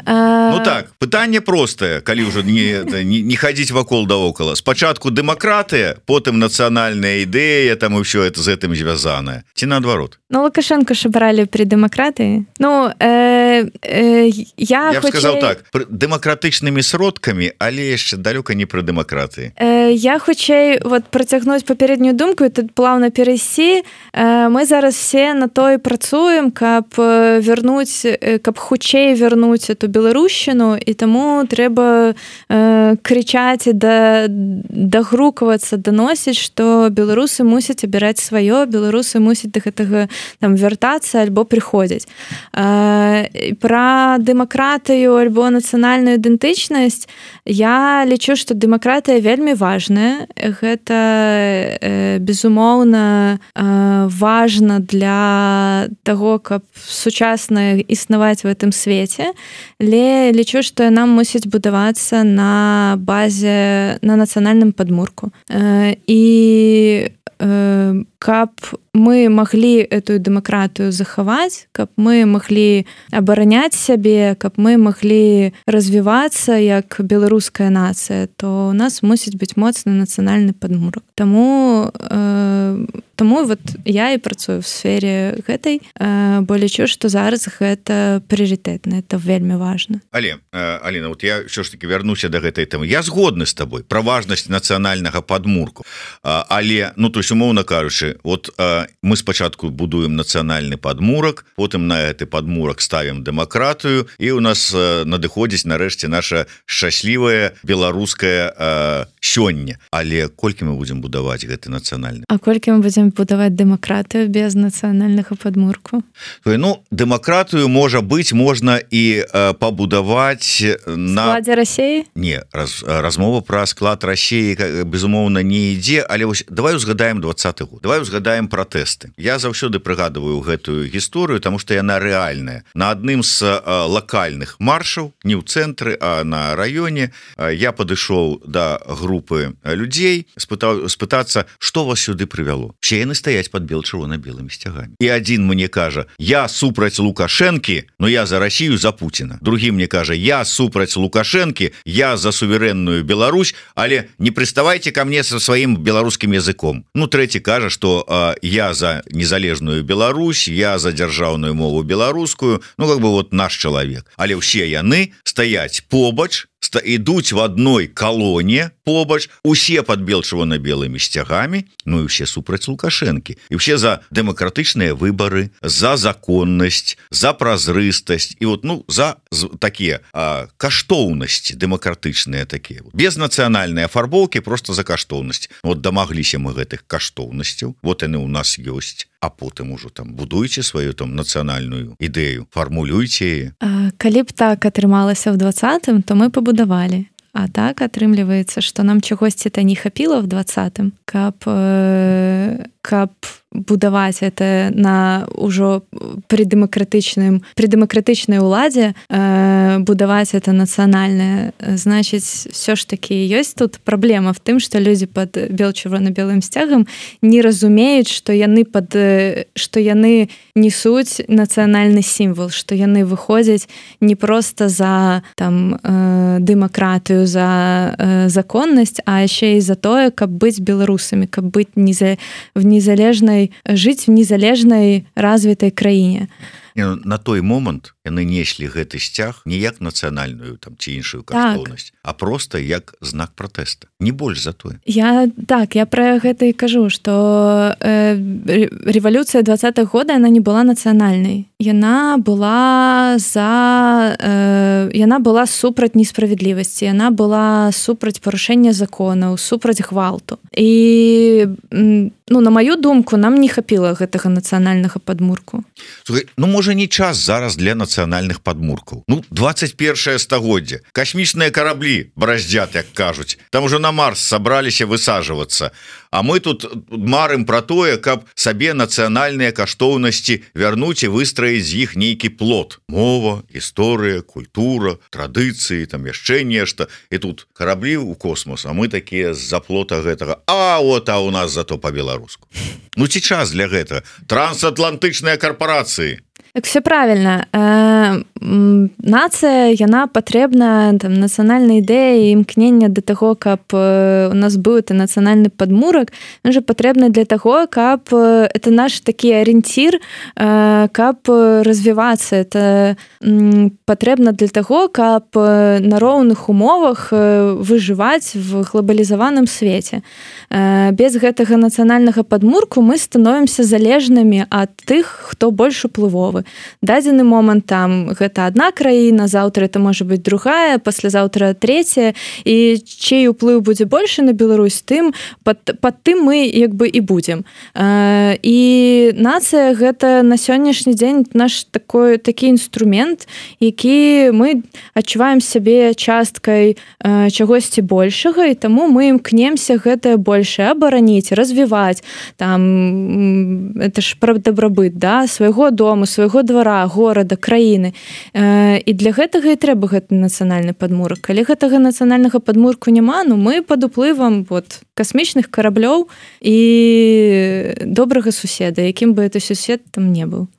Ну так, пытанне простае, калі ўжо не, не, не хадзіць вакол да окала. Спачатку дэмакратыя, потым нацыянальная ідэя, там і ўсё это з гэтым звязанае. Ці наадварот? Ну, Лукашенко ж бралі пры дэмакратыі. Ну, э, э, я Я б хутчэй... сказаў так, дэмакратычнымі сродкамі, але яшчэ далёка не пры дэмакратыі. Э, я хутчэй вот працягнуць папярэднюю думку і тут плаўна перайсці. Э, мы зараз все на то і працуем, каб вярнуць, каб хутчэй вярнуць эту беларушчыну, і таму трэба э, крычаць і да, дагрукавацца, даносіць, што беларусы мусяць абіраць сваё, беларусы мусяць да гэтага там вяртацца альбо прыходзяць. Э, пра дэмакратыю альбо нацыянальную ідэнтычнасць я лічу, што дэмакратыя вельмі важная. Гэта э, безумоўна э, важна для таго, каб сучасна існаваць в гэтым свеце. Але лічу, што яна мусіць будавацца на базе, на нацыянальным падмурку. І каб мы маглі эту дэмакратыю захаваць, каб мы маглі абараняць сябе, каб мы маглі развівацца як беларуская нацыя, то у нас мусіць быць моцны нацыянальны падмурак. Таму, э, таму вот я і працую в сфере гэтай, э, бо лічу, што зараз гэта прыярытэтна, это вельмі важна. Але, э, Аліна, вот я ўсё ж таки вярнуся да гэтай тэмы. Я згодны з табой пра важнасць нацыянальнага падмурку. А, але, ну, то есть, умоўна кажучы, вот э, мы спачатку будуем нацыянальны падмурак, потым на гэты падмурак ставім дэмакратыю, і у нас э, надыходзіць нарэшце наша шчаслівая беларуская э, сёння. Але колькі мы будзем будаваць гэты нацыянальны? А колькі мы будзем будзем будаваць дэмакратыю без нацыянальнага падмурку? Ну, дэмакратыю можа быць можна і э, пабудаваць на складзе Расіі? Не, раз, размова пра склад Расіі безумоўна не ідзе, але вось давай узгадаем двадцаты год. Давай узгадаем пратэсты. Я заўсёды прыгадываю гэтую гісторыю, таму што яна рэальная. На адным з э, лакальных маршаў, не ў цэнтры, а на раёне, э, я падышоў да групы людзей, спытаў спытацца, што вас сюды прывяло. Все яны стаяць пад бел-чырвона-белымі сцягамі. І адзін мне кажа: я супраць Лукашэнкі, но я за Расію, за Пуціна. Другі мне кажа: я супраць Лукашэнкі, я за суверэнную Беларусь, але не прыставайце ко мне со сваім беларускім языком. Ну, трэці кажа, што э, я за незалежную Беларусь, я за дзяржаўную мову беларускую, ну, как бы вот наш чалавек. Але ўсе яны стаяць побач, ідуць в адной калоне побач, усе пад бел-чырвона-белымі сцягамі, ну і ўсе супраць Лукашэнкі. І ўсе за дэмакратычныя выбары, за законнасць, за празрыстасць і вот, ну, за такія а, каштоўнасці дэмакратычныя такія. Без нацыянальнай афарбоўкі, просто за каштоўнасць. Вот дамагліся мы гэтых каштоўнасцяў. Вот яны ў нас ёсць. А потым ужо там будуйце сваю там нацыянальную ідэю, фармулюйце яе. Калі б так атрымалася ў двадцатым, то мы пабудавалі. А так атрымліваецца, што нам чагосьці-то не хапіла ў двадцатым, каб, каб будаваць это на ўжо пры дэмакратычным, пры дэмакратычнай уладзе, э, будаваць это нацыянальнае. Значыць, все ж таки ёсць тут праблема в тым, што людзі пад бел-чырвона-белым сцягам не разумеюць, што яны пад, што яны несуць нацыянальны сімвал, што яны выходзяць не проста за там э, дэмакратыю, за э, законнасць, а яшчэ і за тое, каб быць беларусамі, каб быць неза, в незалежнай, жыць в незалежнай развітай краіне. На той момант яны неслі гэты сцяг не як нацыянальную там ці іншую каштоўнасць, так, а просто як знак пратэста. Не больш за тое. Я так, я пра гэта і кажу, што э, рэвалюцыя двадцатых года яна не была нацыянальнай. Яна была за э, яна была супраць несправядлівасці, яна была супраць парушэння законаў, супраць гвалту. І ну, на маю думку, нам не хапіла гэтага нацыянальнага падмурку. Слухай, ну можа не час зараз для нацыянальных падмуркаў. Ну, двадцать першае стагоддзе. Касмічныя караблі браздзят, як кажуць. Там ужо на Марс сабраліся высаджвацца. А мы тут марым пра тое, каб сабе нацыянальныя каштоўнасці вярнуць і выстраіць з іх нейкі плод. Мова, гісторыя, культура, традыцыі, там яшчэ нешта. І тут караблі ў космос, а мы такія з-за плота гэтага. А вот, а у нас зато па-беларуску. Ну ці час для гэтага? Трансатлантычныя карпорацыі. Так все правильно. Э, нацыя, яна патрэбна, там, нацыянальная ідэя і імкнення да таго, каб у нас быў это нацыянальны падмурак, ён жа патрэбна для таго, каб это наш такі арыенцір, э, каб развівацца. Это патрэбна для таго, каб на роўных умовах выжываць в глобалізаваным свеце. Э, без гэтага нацыянальнага падмурку мы становімся залежнымі ад тых, хто больш уплывовы. Дадзены момант там гэта адна краіна, заўтра это можа быць другая, паслязаўтра трэцяя, і чый уплыў будзе большы на Беларусь, тым пад, пад тым мы як бы і будзем. І нацыя гэта на сённяшні дзень наш такой такі інструмент, які мы адчуваем сябе часткай чагосьці большага, і таму мы імкнемся гэтае большае абараніць, развіваць, там это ж пра дабрабыт, да, свайго дому, свайго двара, горада, краіны. Э, і для гэтага і трэба гэты нацыянальны падмурак. Калі гэтага нацыянальнага падмурку няма, ну мы пад уплывам вот, касмічных караблёў і добрага суседа, якім бы это сусед там не быў.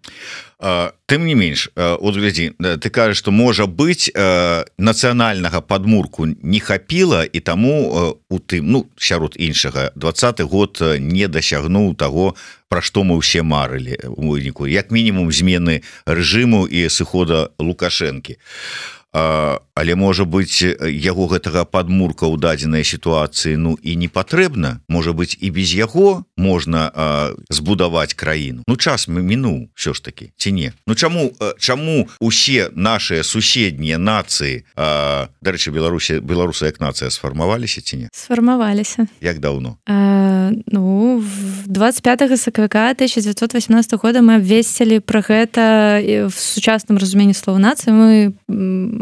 Тым не менш, от глядзі, ты кажаш, што можа быць нацыянальнага падмурку не хапіла, і таму у тым, ну, сярод іншага, двадцаты год не дасягнуў таго, пра што мы ўсе марылі у выніку, як мінімум змены рэжыму і сыхода Лукашэнкі. а, але можа быць яго гэтага падмурка ў дадзенай сітуацыі ну і не патрэбна, можа быць і без яго можна а, збудаваць краіну. Ну час мы мінуў все ж таки ці не? Ну чаму чаму усе нашыя суседнія нацыі, дарэчы, Беларусі беларусы як нацыя сфармаваліся ці не? Сфармаваліся. Як даўно? А, ну двадцать пятого сакавіка тысяча девятьсот восемнадцатого года мы абвесцілі пра гэта в сучасным разуменні слова нацыі, мы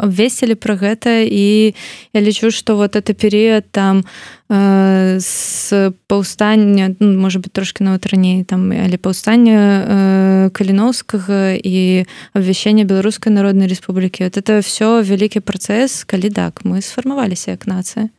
абвесцілі пра гэта, і я лічу, што вот это перыяд там з паўстання, ну, можа быць трошки нават раней там, але паўстання Каліноўскага і абвяшчэння Беларускай Народнай Рэспублікі, вот это все вялікі працэс, калі так мы сфармаваліся як нацыя.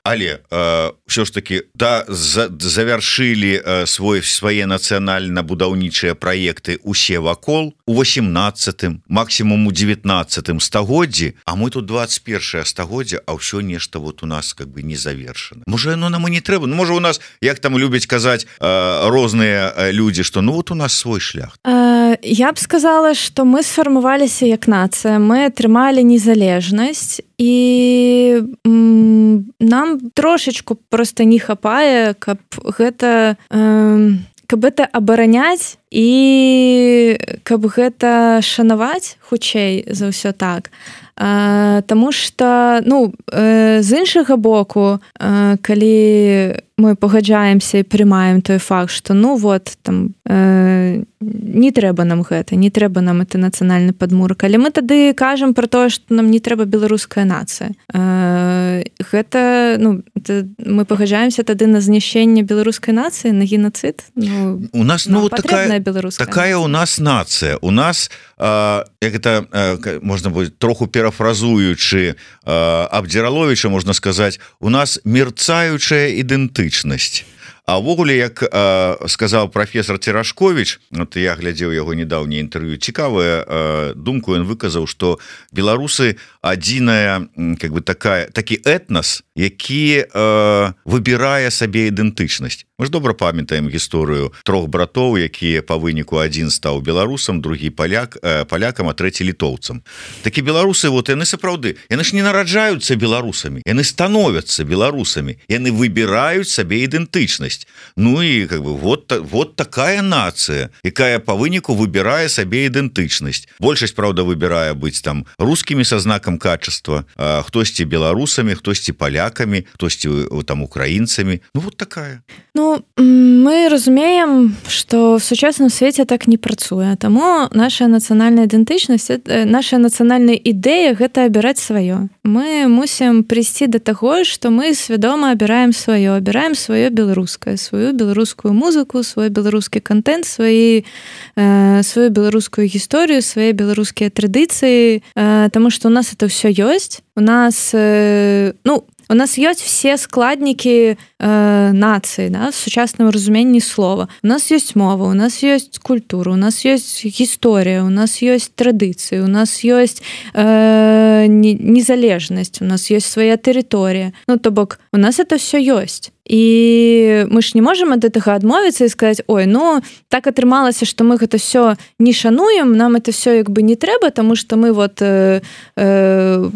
Але э, все ж таки да за, завяршылі э, свой свае нацыянальна-будаўнічыя праекты усе вакол у восемнадцатым, максімум у девятнадцатым стагоддзі, а мы тут двадцать первое стагоддзя, а ўсё нешта вот у нас как бы не завершана. Можа оно нам і не трэба, ну, можа у нас, як там любяць казаць э, розныя людзі, што ну вот у нас свой шлях. А, я б сказала, што мы сфармаваліся як нацыя, мы атрымалі незалежнасць, і м, нам трошечку просто не хапае, каб гэта э, каб гэта абараняць і каб гэта шанаваць хутчэй за ўсё так. А, таму што ну э, з іншага боку, э, калі мы пагаджаемся і прымаем той факт, што ну вот там э, не трэба нам гэта, не трэба нам это нацыянальны падмурак, але мы тады кажам пра тое, што нам не трэба беларуская нацыя. Э, гэта ну это, мы пагаджаемся тады на знішчэнне беларускай нацыі, на геноцид. Ну, у нас ну такая, такая нацыя. У нас нацыя, у нас э, як это э, можна будет троху парафразуючы э, Абдзіраловіча, можна сказаць, у нас мерцаючая ідэнтычнасць. А ўвогуле, як э, сказаў прафесор Церашковіч, вот я глядзеў яго недаўняе інтэрв'ю, цікавая э, думку ён выказаў, што беларусы адзіная как бы такая такі этнас, які э, выбірае сабе ідэнтычнасць. Мы ж добра памятаем гісторыю трох братоў, якія па выніку адзін стаў беларусам, другі паляк э, палякам, а трэці літоўцам. Такі беларусы вот яны сапраўды, яны ж не нараджаюцца беларусамі, яны становяцца беларусамі, яны выбіраюць сабе ідэнтычнасць. Ну і как бы вот вот такая нацыя, якая па выніку выбірае сабе ідэнтычнасць. Большасць, правда, выбірае быць там рускімі са знакам качества, хтосьці беларусамі, хтосьці палякамі, хтосьці там украінцамі. Ну вот такая. Ну мы разумеем, што в сучасным свеце так не працуе, таму наша нацыянальная ідэнтычнасць, наша нацыянальная ідэя гэта абіраць сваё. Мы мусім прыйсці да таго, што мы свядома абіраем сваё, абіраем сваё беларускае, сваю беларускую музыку, свой беларускі контент, сваі, э, сваю беларускую гісторыю, свае беларускія традыцыі, э, таму што у нас это ўсё ёсць. У нас э, ну у нас ёсць все складнікі э, нацыі, да, в сучасным разуменні слова. У нас ёсць мова, у нас ёсць культура, у нас ёсць гісторыя, у нас ёсць традыцыі, у нас ёсць э, незалежнасць, у нас ёсць свая тэрыторыя. Ну то бок у нас это все ёсць. І мы ж не можам ад гэтага адмовіцца і сказаць: ой, ну так атрымалася, што мы гэта все не шануем, нам это все як бы не трэба, таму што мы вот э, э,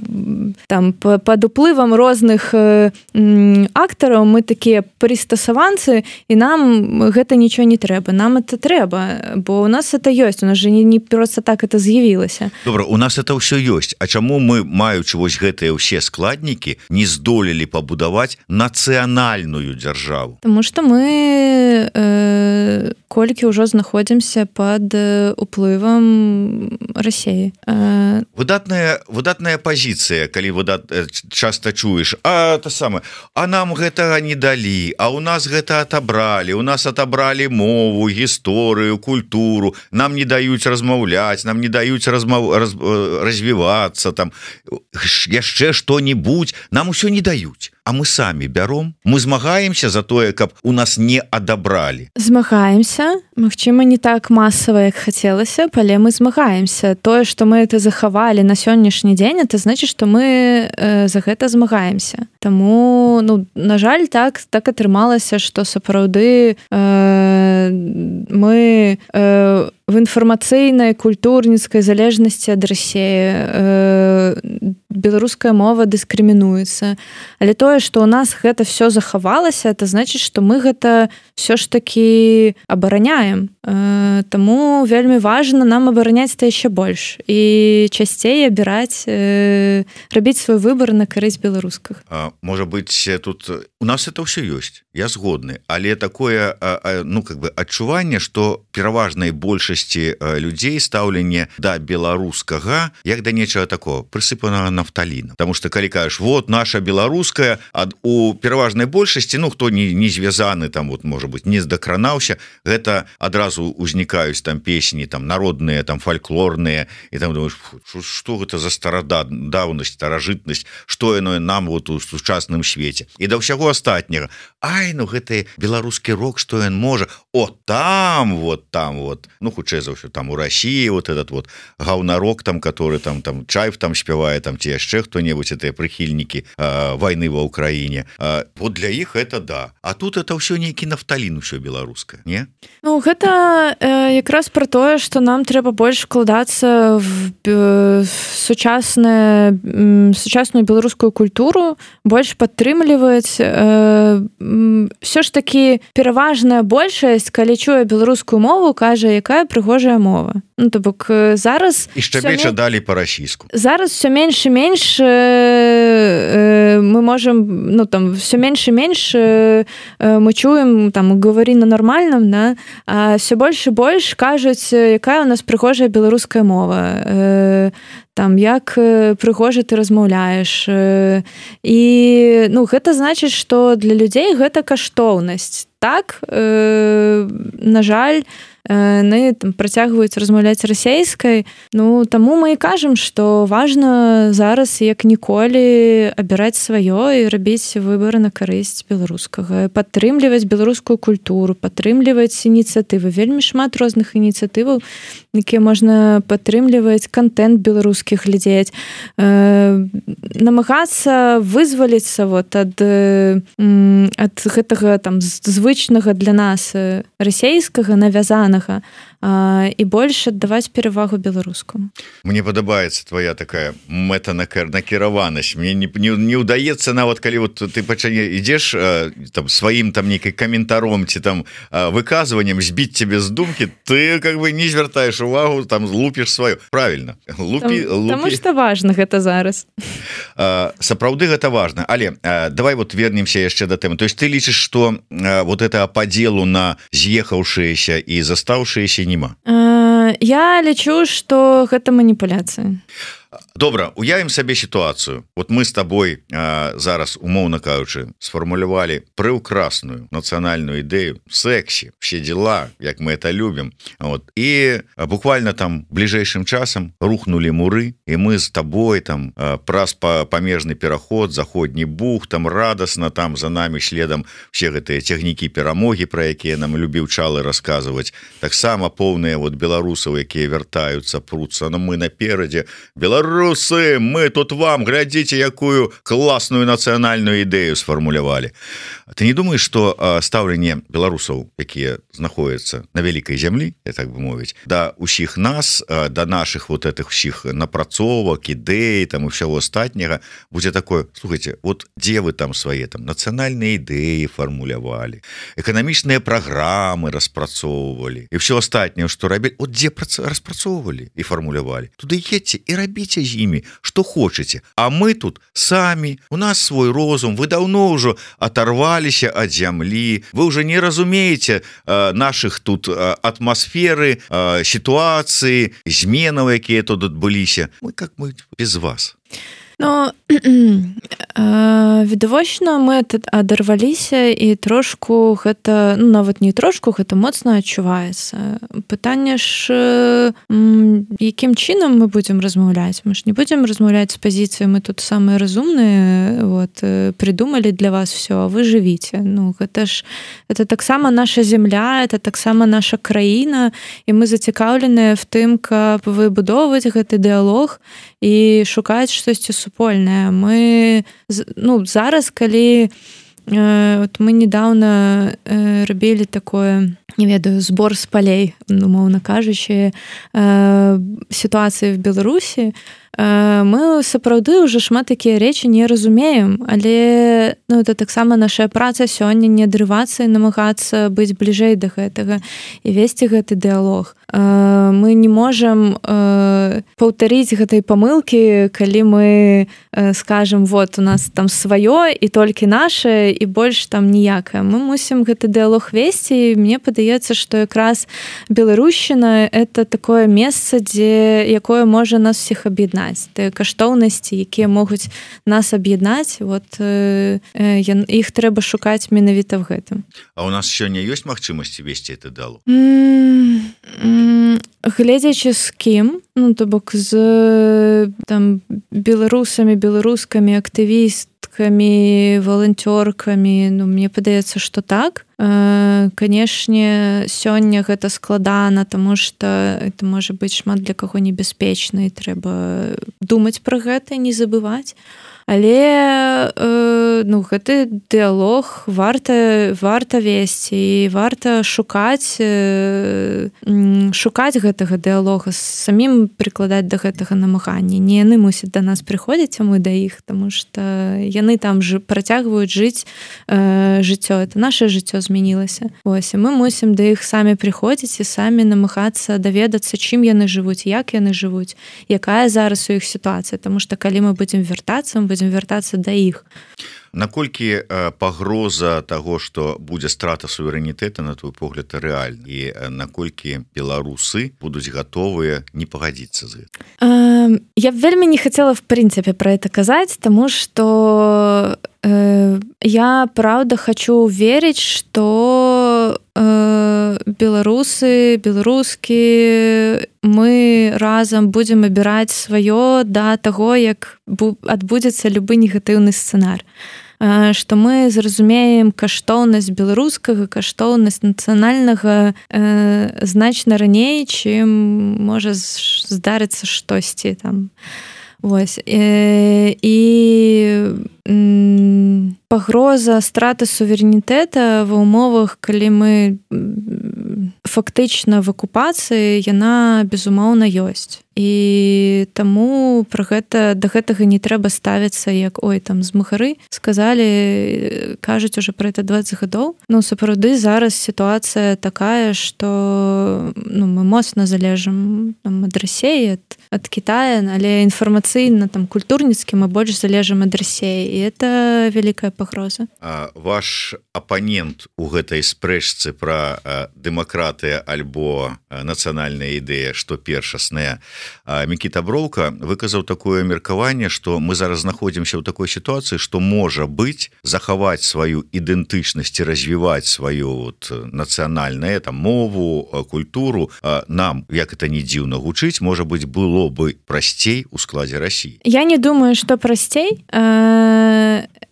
там пад уплывам розных э, актараў мы такія прыстасаванцы, і нам гэта нічого не трэба, нам это трэба, бо у нас это ёсць, у нас же не, не просто так это з'явілася. Добра, у нас это ўсё ёсць. А чаму мы, маючы вось гэтыя ўсе складнікі, не здолелі пабудаваць нацыянальную дзяржаву? Таму што мы э, колькі ўжо знаходзімся пад уплывам Расіі. Э... Выдатная, выдатная пазіцыя, калі выдат... часта чуеш, а то самае, а нам гэтага не далі, а у нас гэта атабралі, у нас атабралі мову, гісторыю, культуру, нам не даюць размаўляць, нам не даюць размаў... раз... развівацца, там яшчэ што-небудзь, нам усё не даюць. А мы самі бяром, мы змагаемся за тое, каб у нас не адабралі. Змагаемся, магчыма, не так масава, як хацелася, але мы змагаемся. Тое, што мы это захавалі на сённяшні дзень, это значыць, што мы э, за гэта змагаемся. Таму, ну, на жаль, так так атрымалася, што сапраўды э, мы э, в інфармацыйнай культурніцкай залежнасці ад Расіі беларуская мова дыскрымінуецца, але тое, што ў нас гэта все захавалася, это значыць, што мы гэта все ж таки абараняем. Таму вельмі важна нам абараняць это яшчэ больш і часцей абіраць, рабіць свой выбор на карысць беларускіх. Можа быть, тут у нас это ўсё ёсць, я згодны, але такое, ну, как бы адчуванне, што пераважнай большасці людзей стаўленне да беларускага як да нечага такого прысыпанага нафталіна. Потому что калі кажаш, вот наша беларуская, а у пераважнай большасці, ну, хто не, не звязаны там, вот, можа быть, не здакранаўся, гэта адразу узнікаюць там песні там народныя, там фальклорныя, і там думаешь, што гэта за старадаўнасць, старажытнасць, што яно нам вот у сучасным свеце. І да ўсяго астатняга. Ай, ну гэты беларускі рок, што ён можа? О, там вот, там вот, ну, хутчэй за ўсё, там у России вот этот вот гаўнарок там, который там, там Чайф там спявае, там ці яшчэ хто-небудзь, это прыхільнікі э, войны ва Украине. Э, вот для іх это да. А тут это ўсё нейкі нафталін, усё беларускае, не? Ну, гэта э, якраз про тое, што нам трэба больш вкладацца в, э, в сучасную, э, сучасную беларускую культуру, больш падтрымліваць. Э, все ж таки пераважная большасць, калі чуе беларускую мову, кажа, якая прыгожая мова. Ну, то бок зараз і шчабеча далі па-расійску. Зараз все менш і менш э, мы можем, ну, там все менш і менш э, мы чуем там гавары на нармальным, да, а все больш і больш кажуць, якая у нас прыгожая беларуская мова. Э, там як прыгожа ты размаўляеш. І ну, гэта значыць, што для людзей гэта каштоўнасць. Так, э, на жаль, яны там працягваюць размаўляць расейскай. Ну, таму мы і кажам, што важна зараз як ніколі абіраць сваё і рабіць выбары на карысць беларускага, падтрымліваць беларускую культуру, падтрымліваць ініцыятывы. Вельмі шмат розных ініцыятываў, якія можна падтрымліваць, контент беларускіх глядзець, э, намагацца вызваліцца вот ад, э, ад гэтага там звычнага для нас расейскага навязанага, і больш аддаваць перавагу беларускаму. Мне падабаецца твоя такая мэтанакіраванасць. Мне не, не, не ўдаецца нават калі вот ты пачане ідзеш там сваім там нейкай каментаром ці там выказваннем збіць цябе з думкі, ты как бы не звяртаеш увагу, там лупіш сваю. Правильно. Лупі, там, лупі. Таму што важна гэта зараз. Сапраўды гэта важна. Але давай вот вернемся яшчэ да тэмы. То есть ты лічыш, што вот это падзелу на з'ехаўшыеся і застаўшыеся няма? Я лічу, што гэта маніпуляцыя. Добра, уявім сабе сітуацыю. Вот мы з табой а, зараз, умоўна кажучы, сфармулявалі прыўкрасную нацыянальную ідэю, сексі, все дела, як мы это любім. Вот. І а, буквально там бліжэйшым часам рухнули муры, і мы з табой там а, праз па, памежны пераход, заходні бух, там радасна, там за нами следам все гэтыя цягнікі перамогі, пра якія нам любіў Чалы расказваць. Таксама поўныя вот беларусаў, якія вяртаюцца, пруцца, но мы наперадзе. Беларусы, мы тут вам, глядзіце, якую класную нацыянальную ідэю сфармулявалі. Ты не думаеш, што стаўленне беларусаў, якія знаходзяцца на вялікай зямлі, я так бы мовіць, да ўсіх нас, да наших вот этих усіх напрацовак, ідэй, там і ўсяго астатняга, будзе такое, слухайте, вот дзе вы там свае там нацыянальныя ідэі фармулявалі, эканамічныя праграмы распрацоўвалі, і ўсё астатняе, што рабілі, от дзе распрацоўвалі і фармулявалі, туды едьце і рабіце з імі, што хочаце. А мы тут самі, у нас свой розум, вы даўно ўжо оторваліся ад зямлі, вы ўжо не разумееце э, наших тут э, атмасферы, э, сітуацыі, зменаў, якія тут адбыліся. Мы как мы без вас. Ну, відавочна, мы адарваліся і трошку гэта, ну, нават не трошку, гэта моцна адчуваецца. Пытанне ж, якім чынам мы будзем размаўляць? Мы ж не будзем размаўляць з пазіцыі, мы тут самыя разумныя, вот, придумалі для вас все, а вы жывіце. Ну, гэта ж, это таксама наша земля, это таксама наша краіна, і мы зацікаўленыя в тым, каб выбудоўваць гэты дыалог і шукаць штосьці супольнае. Мы, ну, зараз, калі вот мы недавно рабілі такое, не ведаю, збор з палей, умоўна кажучы, сітуацыі в Беларусі. Мы сапраўды ўжо шмат такія рэчы не разумеем, але ну, это таксама наша праца сёння не адрывацца і намагацца быць бліжэй да гэтага і весці гэты дыалог. Мы не можам паўтарыць гэтай памылкі, калі мы скажам, вот у нас там сваё і толькі наше і больш там ніякае. Мы мусім гэты дыалог весці, і мне падаецца, што якраз беларушчына это такое месца, дзе якое можа нас всіх аб'яднаць. Тыя каштоўнасці, якія могуць нас аб'яднаць, вот іх трэба шукаць менавіта в гэтым. А у нас сёння ёсць магчымасці весці гэты дыалог? Гледзячы з кім, ну то бок з там беларусамі, беларускамі, актывісткамі, валанцёркамі, ну мне падаецца, што так. Канешне, сёння гэта складана, таму што это можа быць шмат для каго небяспечна, і трэба думаць пра гэта, не забываць. Але ну, гэты дыалог варта, варта весці, і варта шукаць, шукаць гэтага дыалога, самім прыкладаць да гэтага намагання. Не яны мусяць да нас прыходзіць, а мы да іх, таму што яны там працягваюць жыць жыццё. Это наше жыццё змянілася. Ось, і мы мусім да іх самі прыходзіць і самі намагацца даведацца, чым яны жывуць, як яны жывуць, якая зараз у іх сітуацыя. Таму што калі мы будзем вяртацца, мы будзем вяртацца да іх. Наколькі пагроза таго, што будзе страта суверэнітэта, на твой погляд, рэальна? І наколькі беларусы будуць гатовыя не пагадзіцца з гэтым? Я б вельмі не хацела в прынцыпе пра гэта казаць, таму што э, я правда хочу верыць, што э, беларусы, беларускі, мы разам будзем абіраць сваё да таго, як адбудзецца любы негатыўны сцэнар. Што мы зразумеем каштоўнасць беларускага, каштоўнасць нацыянальнага э, значна раней, чым можа здарыцца штосьці там. Вось. І, і м, пагроза страты суверэнітэта ва ўмовах, калі мы фактычна в акупацыі, яна безумоўна ёсць. І таму пра гэта, да гэтага не трэба ставіцца, як ой, там змагары сказалі, кажуць уже пра это дваццаць гадоў. Ну, сапраўды зараз сітуацыя такая, што ну, мы моцна залежым там, ад Расіі, ад, ад Китая, але інфармацыйна, там, культурніцкі мы больш залежым ад Расіі. І это вялікая пагроза. А ваш апанент у гэтай спрэчцы пра дэмакратыя альбо нацыянальная ідэя, што першасная, Мікіта Броўка выказаў такое меркаванне, што мы зараз знаходзімся ў такой сітуацыі, што можа быць захаваць сваю ідэнтычнасць і развіваць сваю вот, нацыянальную там, мову, культуру. Нам, як это не дзіўна гучыць, можа быць, было бы прасцей у складзе Расіі. Я не думаю, што прасцей.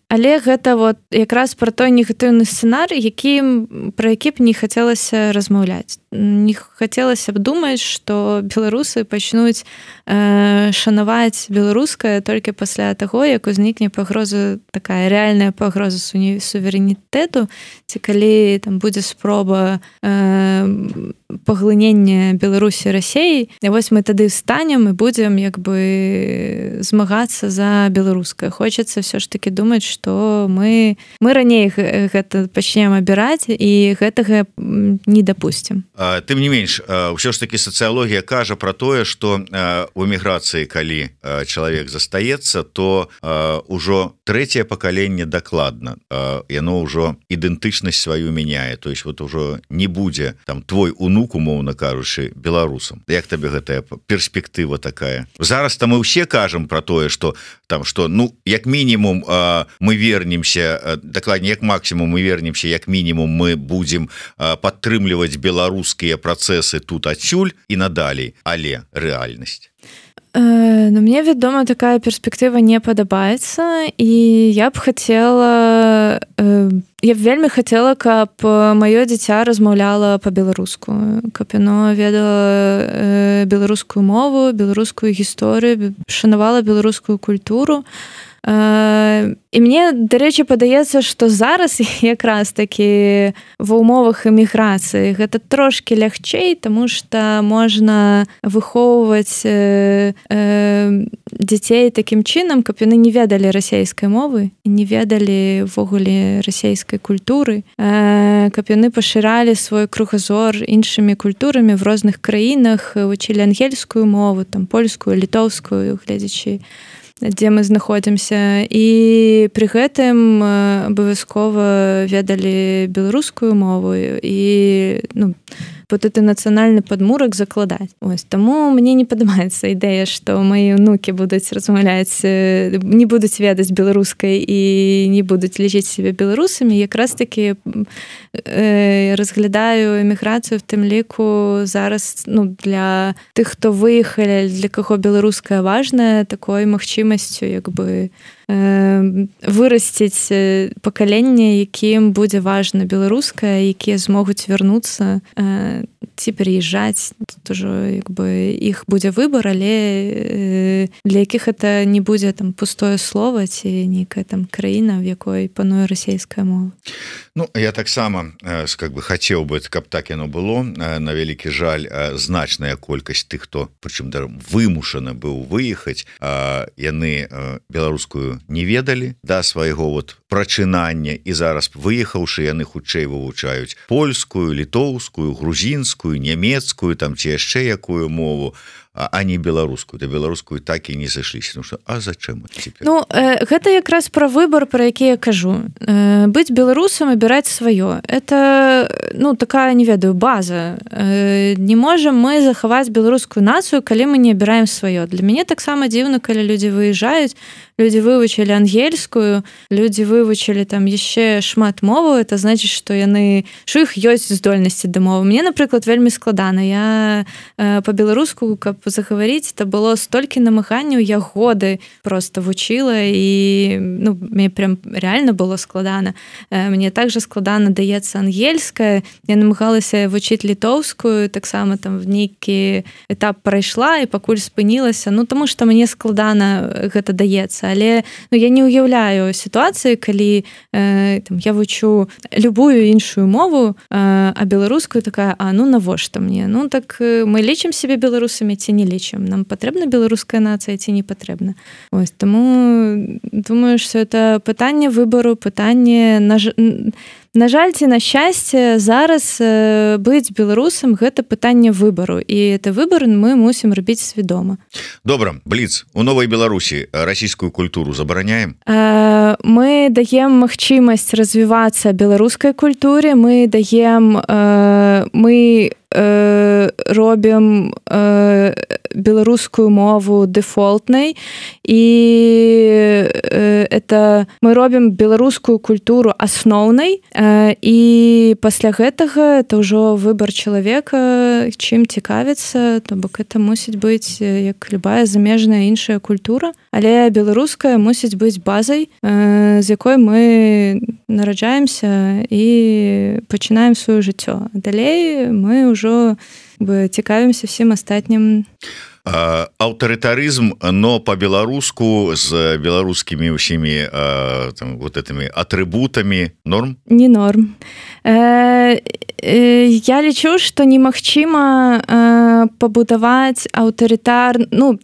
Але гэта вот якраз пра той негатыўны сцэнар, які, пра які б не хацелася размаўляць. Не хацелася б думаць, што беларусы пачнуць э, шанаваць беларускае толькі пасля таго, як узнікне пагроза, такая рэальная пагроза суверэнітэту, ці калі там будзе спроба э, паглынення Беларусі Расіі, і вось мы тады встанем і будзем як бы змагацца за беларускае. Хочацца ўсё ж такі думаць, што мы, мы раней гэта пачнем абіраць і гэтага не дапусцім. Тым не менш, ўсё ж такі сацыялогія кажа пра тое, што у эміграцыі, калі чалавек застаецца, то ўжо трэцяе пакаленне дакладна. Яно ўжо ідэнтычнасць сваю мяняе. То есть вот ужо не будзе там твой унук, умоўна кажучы, беларусам. Як табе гэтая перспектыва такая? Зараз там мы ўсе кажам пра тое, што там што ну як мінімум мы вернемся, дакладней як максімум мы вернемся, як мінімум мы будзем падтрымліваць беларускія працэсы тут адсюль і надалей, але рэальнасць. Ну, мне, вядома, такая перспектыва не падабаецца, і я б хацела, я б вельмі хацела, каб маё дзіця размаўляла па-беларуску, каб яно ведала беларускую мову, беларускую гісторыю, шанавала беларускую культуру. І мне, дарэчы, падаецца, што зараз якраз такі ва ўмовах эміграцыі гэта трошкі лягчэй, таму што можна выхоўваць э, э, дзяцей такім чынам, каб яны не ведалі расейскай мовы, не ведалі ўвогуле расейскай культуры, э, каб яны пашыралі свой кругазор іншымі культурамі в розных краінах, вучылі ангельскую мову, там польскую, літоўскую, гледзячы дзе мы знаходзімся, і пры гэтым абавязкова ведалі беларускую мову і ну, вот это нацыянальны падмурак закладаць. Ось, таму мне не падабаецца ідэя, што мои ўнукі будуць размаўляць, не будуць ведаць беларускай і не будуць лічыць себе беларусамі. Якраз таки э, разглядаю эміграцыю в тым ліку зараз ну, для тых, хто выехалі, для каго беларуская важная, такой магчымасцю як бы вырасціць пакаленне, якім будзе важна беларуская, якія змогуць вярнуцца ці пераязджаць. Тут ужо як бы іх будзе выбар, але для якіх это не будзе там пустое слово ці нейкая там краіна, в якой пануе расейская мова. Ну, я таксама как бы хацеў бы, каб так яно было. На вялікі жаль, значная колькасць тых, хто прычым вымушаны быў выехаць, яны беларускую не ведалі да свайго вот прачынання, і зараз выехаўшы яны хутчэй вывучаюць польскую, літоўскую, грузінскую, нямецкую, там ці яшчэ якую мову, а не беларускую. Да беларускую так і не сышліся. Ну што, а зачем это цяпер? Ну, э, гэта якраз пра выбар, пра які я кажу. Э, быць беларусам, абіраць сваё. Это, ну, такая, не ведаю, база. Э, не можам мы захаваць беларускую нацыю, калі мы не абіраем сваё. Для мяне таксама дзіўна, калі людзі выязджаюць, людзі вывучылі ангельскую, людзі вывучылі там яшчэ шмат мову, это значыць, што яны, што іх ёсць здольнасці да мовы. Мне, напрыклад, вельмі складана. Я э, па-беларуску, каб загаварыць, это было столькі намаганняў, я годы просто вучыла, і ну, мне прям реально было складана. Э, мне также складана даецца ангельская, я намагалася вучыць літоўскую, таксама там в нейкі этап прайшла і пакуль спынілася, ну таму што мне складана гэта даецца. Але ну, я не ўяўляю сітуацыі, калі э, там, я вучу любую іншую мову, э, а беларускую такая, а ну навошта мне? Ну так э, мы лічым себе беларусамі ці не лічым? Нам патрэбна беларуская нацыя ці не патрэбна? Ось, таму думаю, што это пытанне выбару, пытанне на, на жаль ці на шчасце, зараз э, быць беларусам гэта пытанне выбару, і это выбар мы мусім рабіць свядома. Добра, Бліц, у Новай Беларусі расійскую культуру забараняем? Э, мы даем магчымасць развівацца беларускай культуре, мы даем э, мы э, робім э, беларускую мову дэфолтнай, і э, это мы робім беларускую культуру асноўнай, э, і пасля гэтага это ўжо выбар чалавека, чым цікавіцца, то бок это мусіць быць як любая замежная іншая культура, але беларуская мусіць быць базай, э, з якой мы нараджаемся і пачынаем сваё жыццё. Далей мы ўжо цікавімся всім астатнім. Аўтарытарызм, но по-беларуску з беларускімі ўсімі там, вот этими атрыбутамі норм? Не норм. Э, э, я лічу, што немагчыма э, пабудаваць аўтарытар... Ну,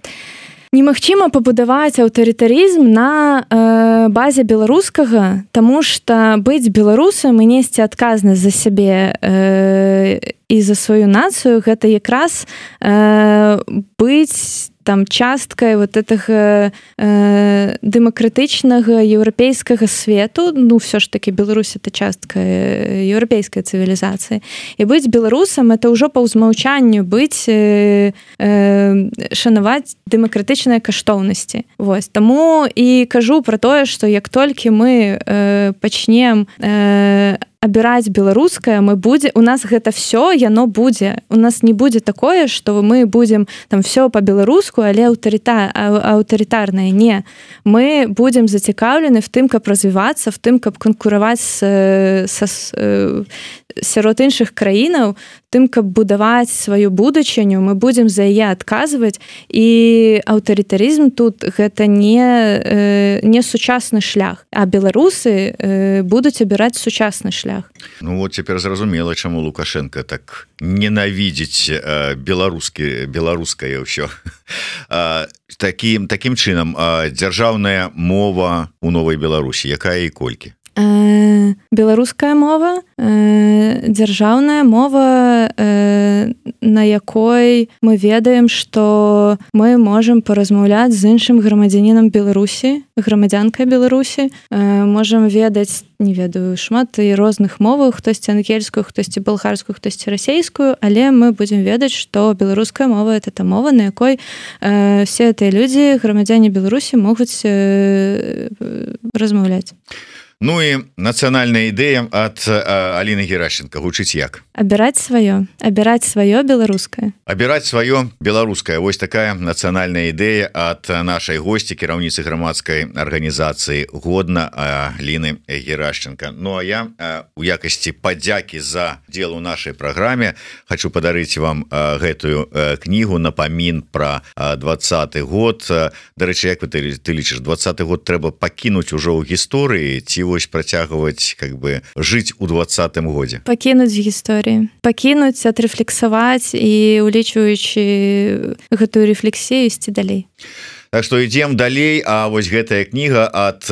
немагчыма пабудаваць аўтарытарызм на э, базе беларускага, таму што быць беларусам і несці адказнасць за сябе э, і за сваю нацыю, гэта якраз э, быць там часткай вот гэтага э, дэмакратычнага еўрапейскага свету. Ну, все ж таки Беларусь это частка еўрапейскай цывілізацыі. І быць беларусам это ўжо па ўзмаўчанню быць э, э, шанаваць дэмакратычныя каштоўнасці. Вось. Таму і кажу пра тое, што як толькі мы э, пачнем э, абіраць беларускае, мы будзе, у нас гэта все, яно будзе. У нас не будзе такое, што мы будзем там все па-беларуску, але аўтарыта, аўтарытарнае. Не. Мы будзем зацікаўлены в тым, каб развівацца, в тым, каб канкураваць са, са, сярод іншых краінаў, тым каб будаваць сваю будучыню, мы будзем за яе адказваць, і аўтарытарызм тут гэта не не сучасны шлях, а беларусы будуць абіраць сучасны шлях. Ну вот цяпер зразумела, чаму Лукашенко так ненавідзіць беларускі беларускае ўсё. Такім такім чынам дзяржаўная мова у Новай Беларусі, якая і колькі? Э, беларуская мова, э, дзяржаўная мова, э, на якой мы ведаем, што мы можам паразмаўляць з іншым грамадзянінам Беларусі, грамадзянкай Беларусі, э, можам ведаць, не ведаю, шмат і розных моваў, хтосьці ангельскую, хтосьці балгарскую, хтосьці расейскую, але мы будзем ведаць, што беларуская мова — это та мова, на якой э, все гэтыя людзі, грамадзяне Беларусі, могуць э, размаўляць. Ну і нацыянальная ідэя ад Аліны Геращенко гучыць як? Абіраць сваё, абіраць сваё беларускае. Абіраць сваё беларускае. Вось такая нацыянальная ідэя ад нашай госці, кіраўніцы грамадскай арганізацыі «Годна» Аліны Геращенко. Ну а я у якасці падзякі за удзел у нашай праграме хочу падарыць вам гэтую кнігу «Напамін пра двадцаты год». Дарэчы, як вы ты лічыш, двадцаты год трэба пакінуць ужо ў гісторыі ці вось працягваць как бы жыць у двадцатым годзе? Пакінуць гісторыі, пакінуць, адрэфлексаваць і улічваючы гэтую рэфлексію ісці далей. Так што ідзем далей, а вось гэтая кніга ад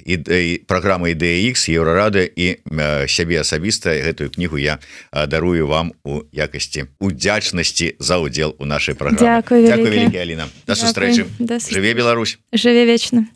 ідэй, праграмы «Ідэя Х», Еўрарады і сябе асабіста гэтую кнігу я дарую вам у якасці удзячнасці за ўдзел у нашай праграме. Дзякуй вялікі, Аліна. Да сустрэчы. Жыве Беларусь. Жыве вечна.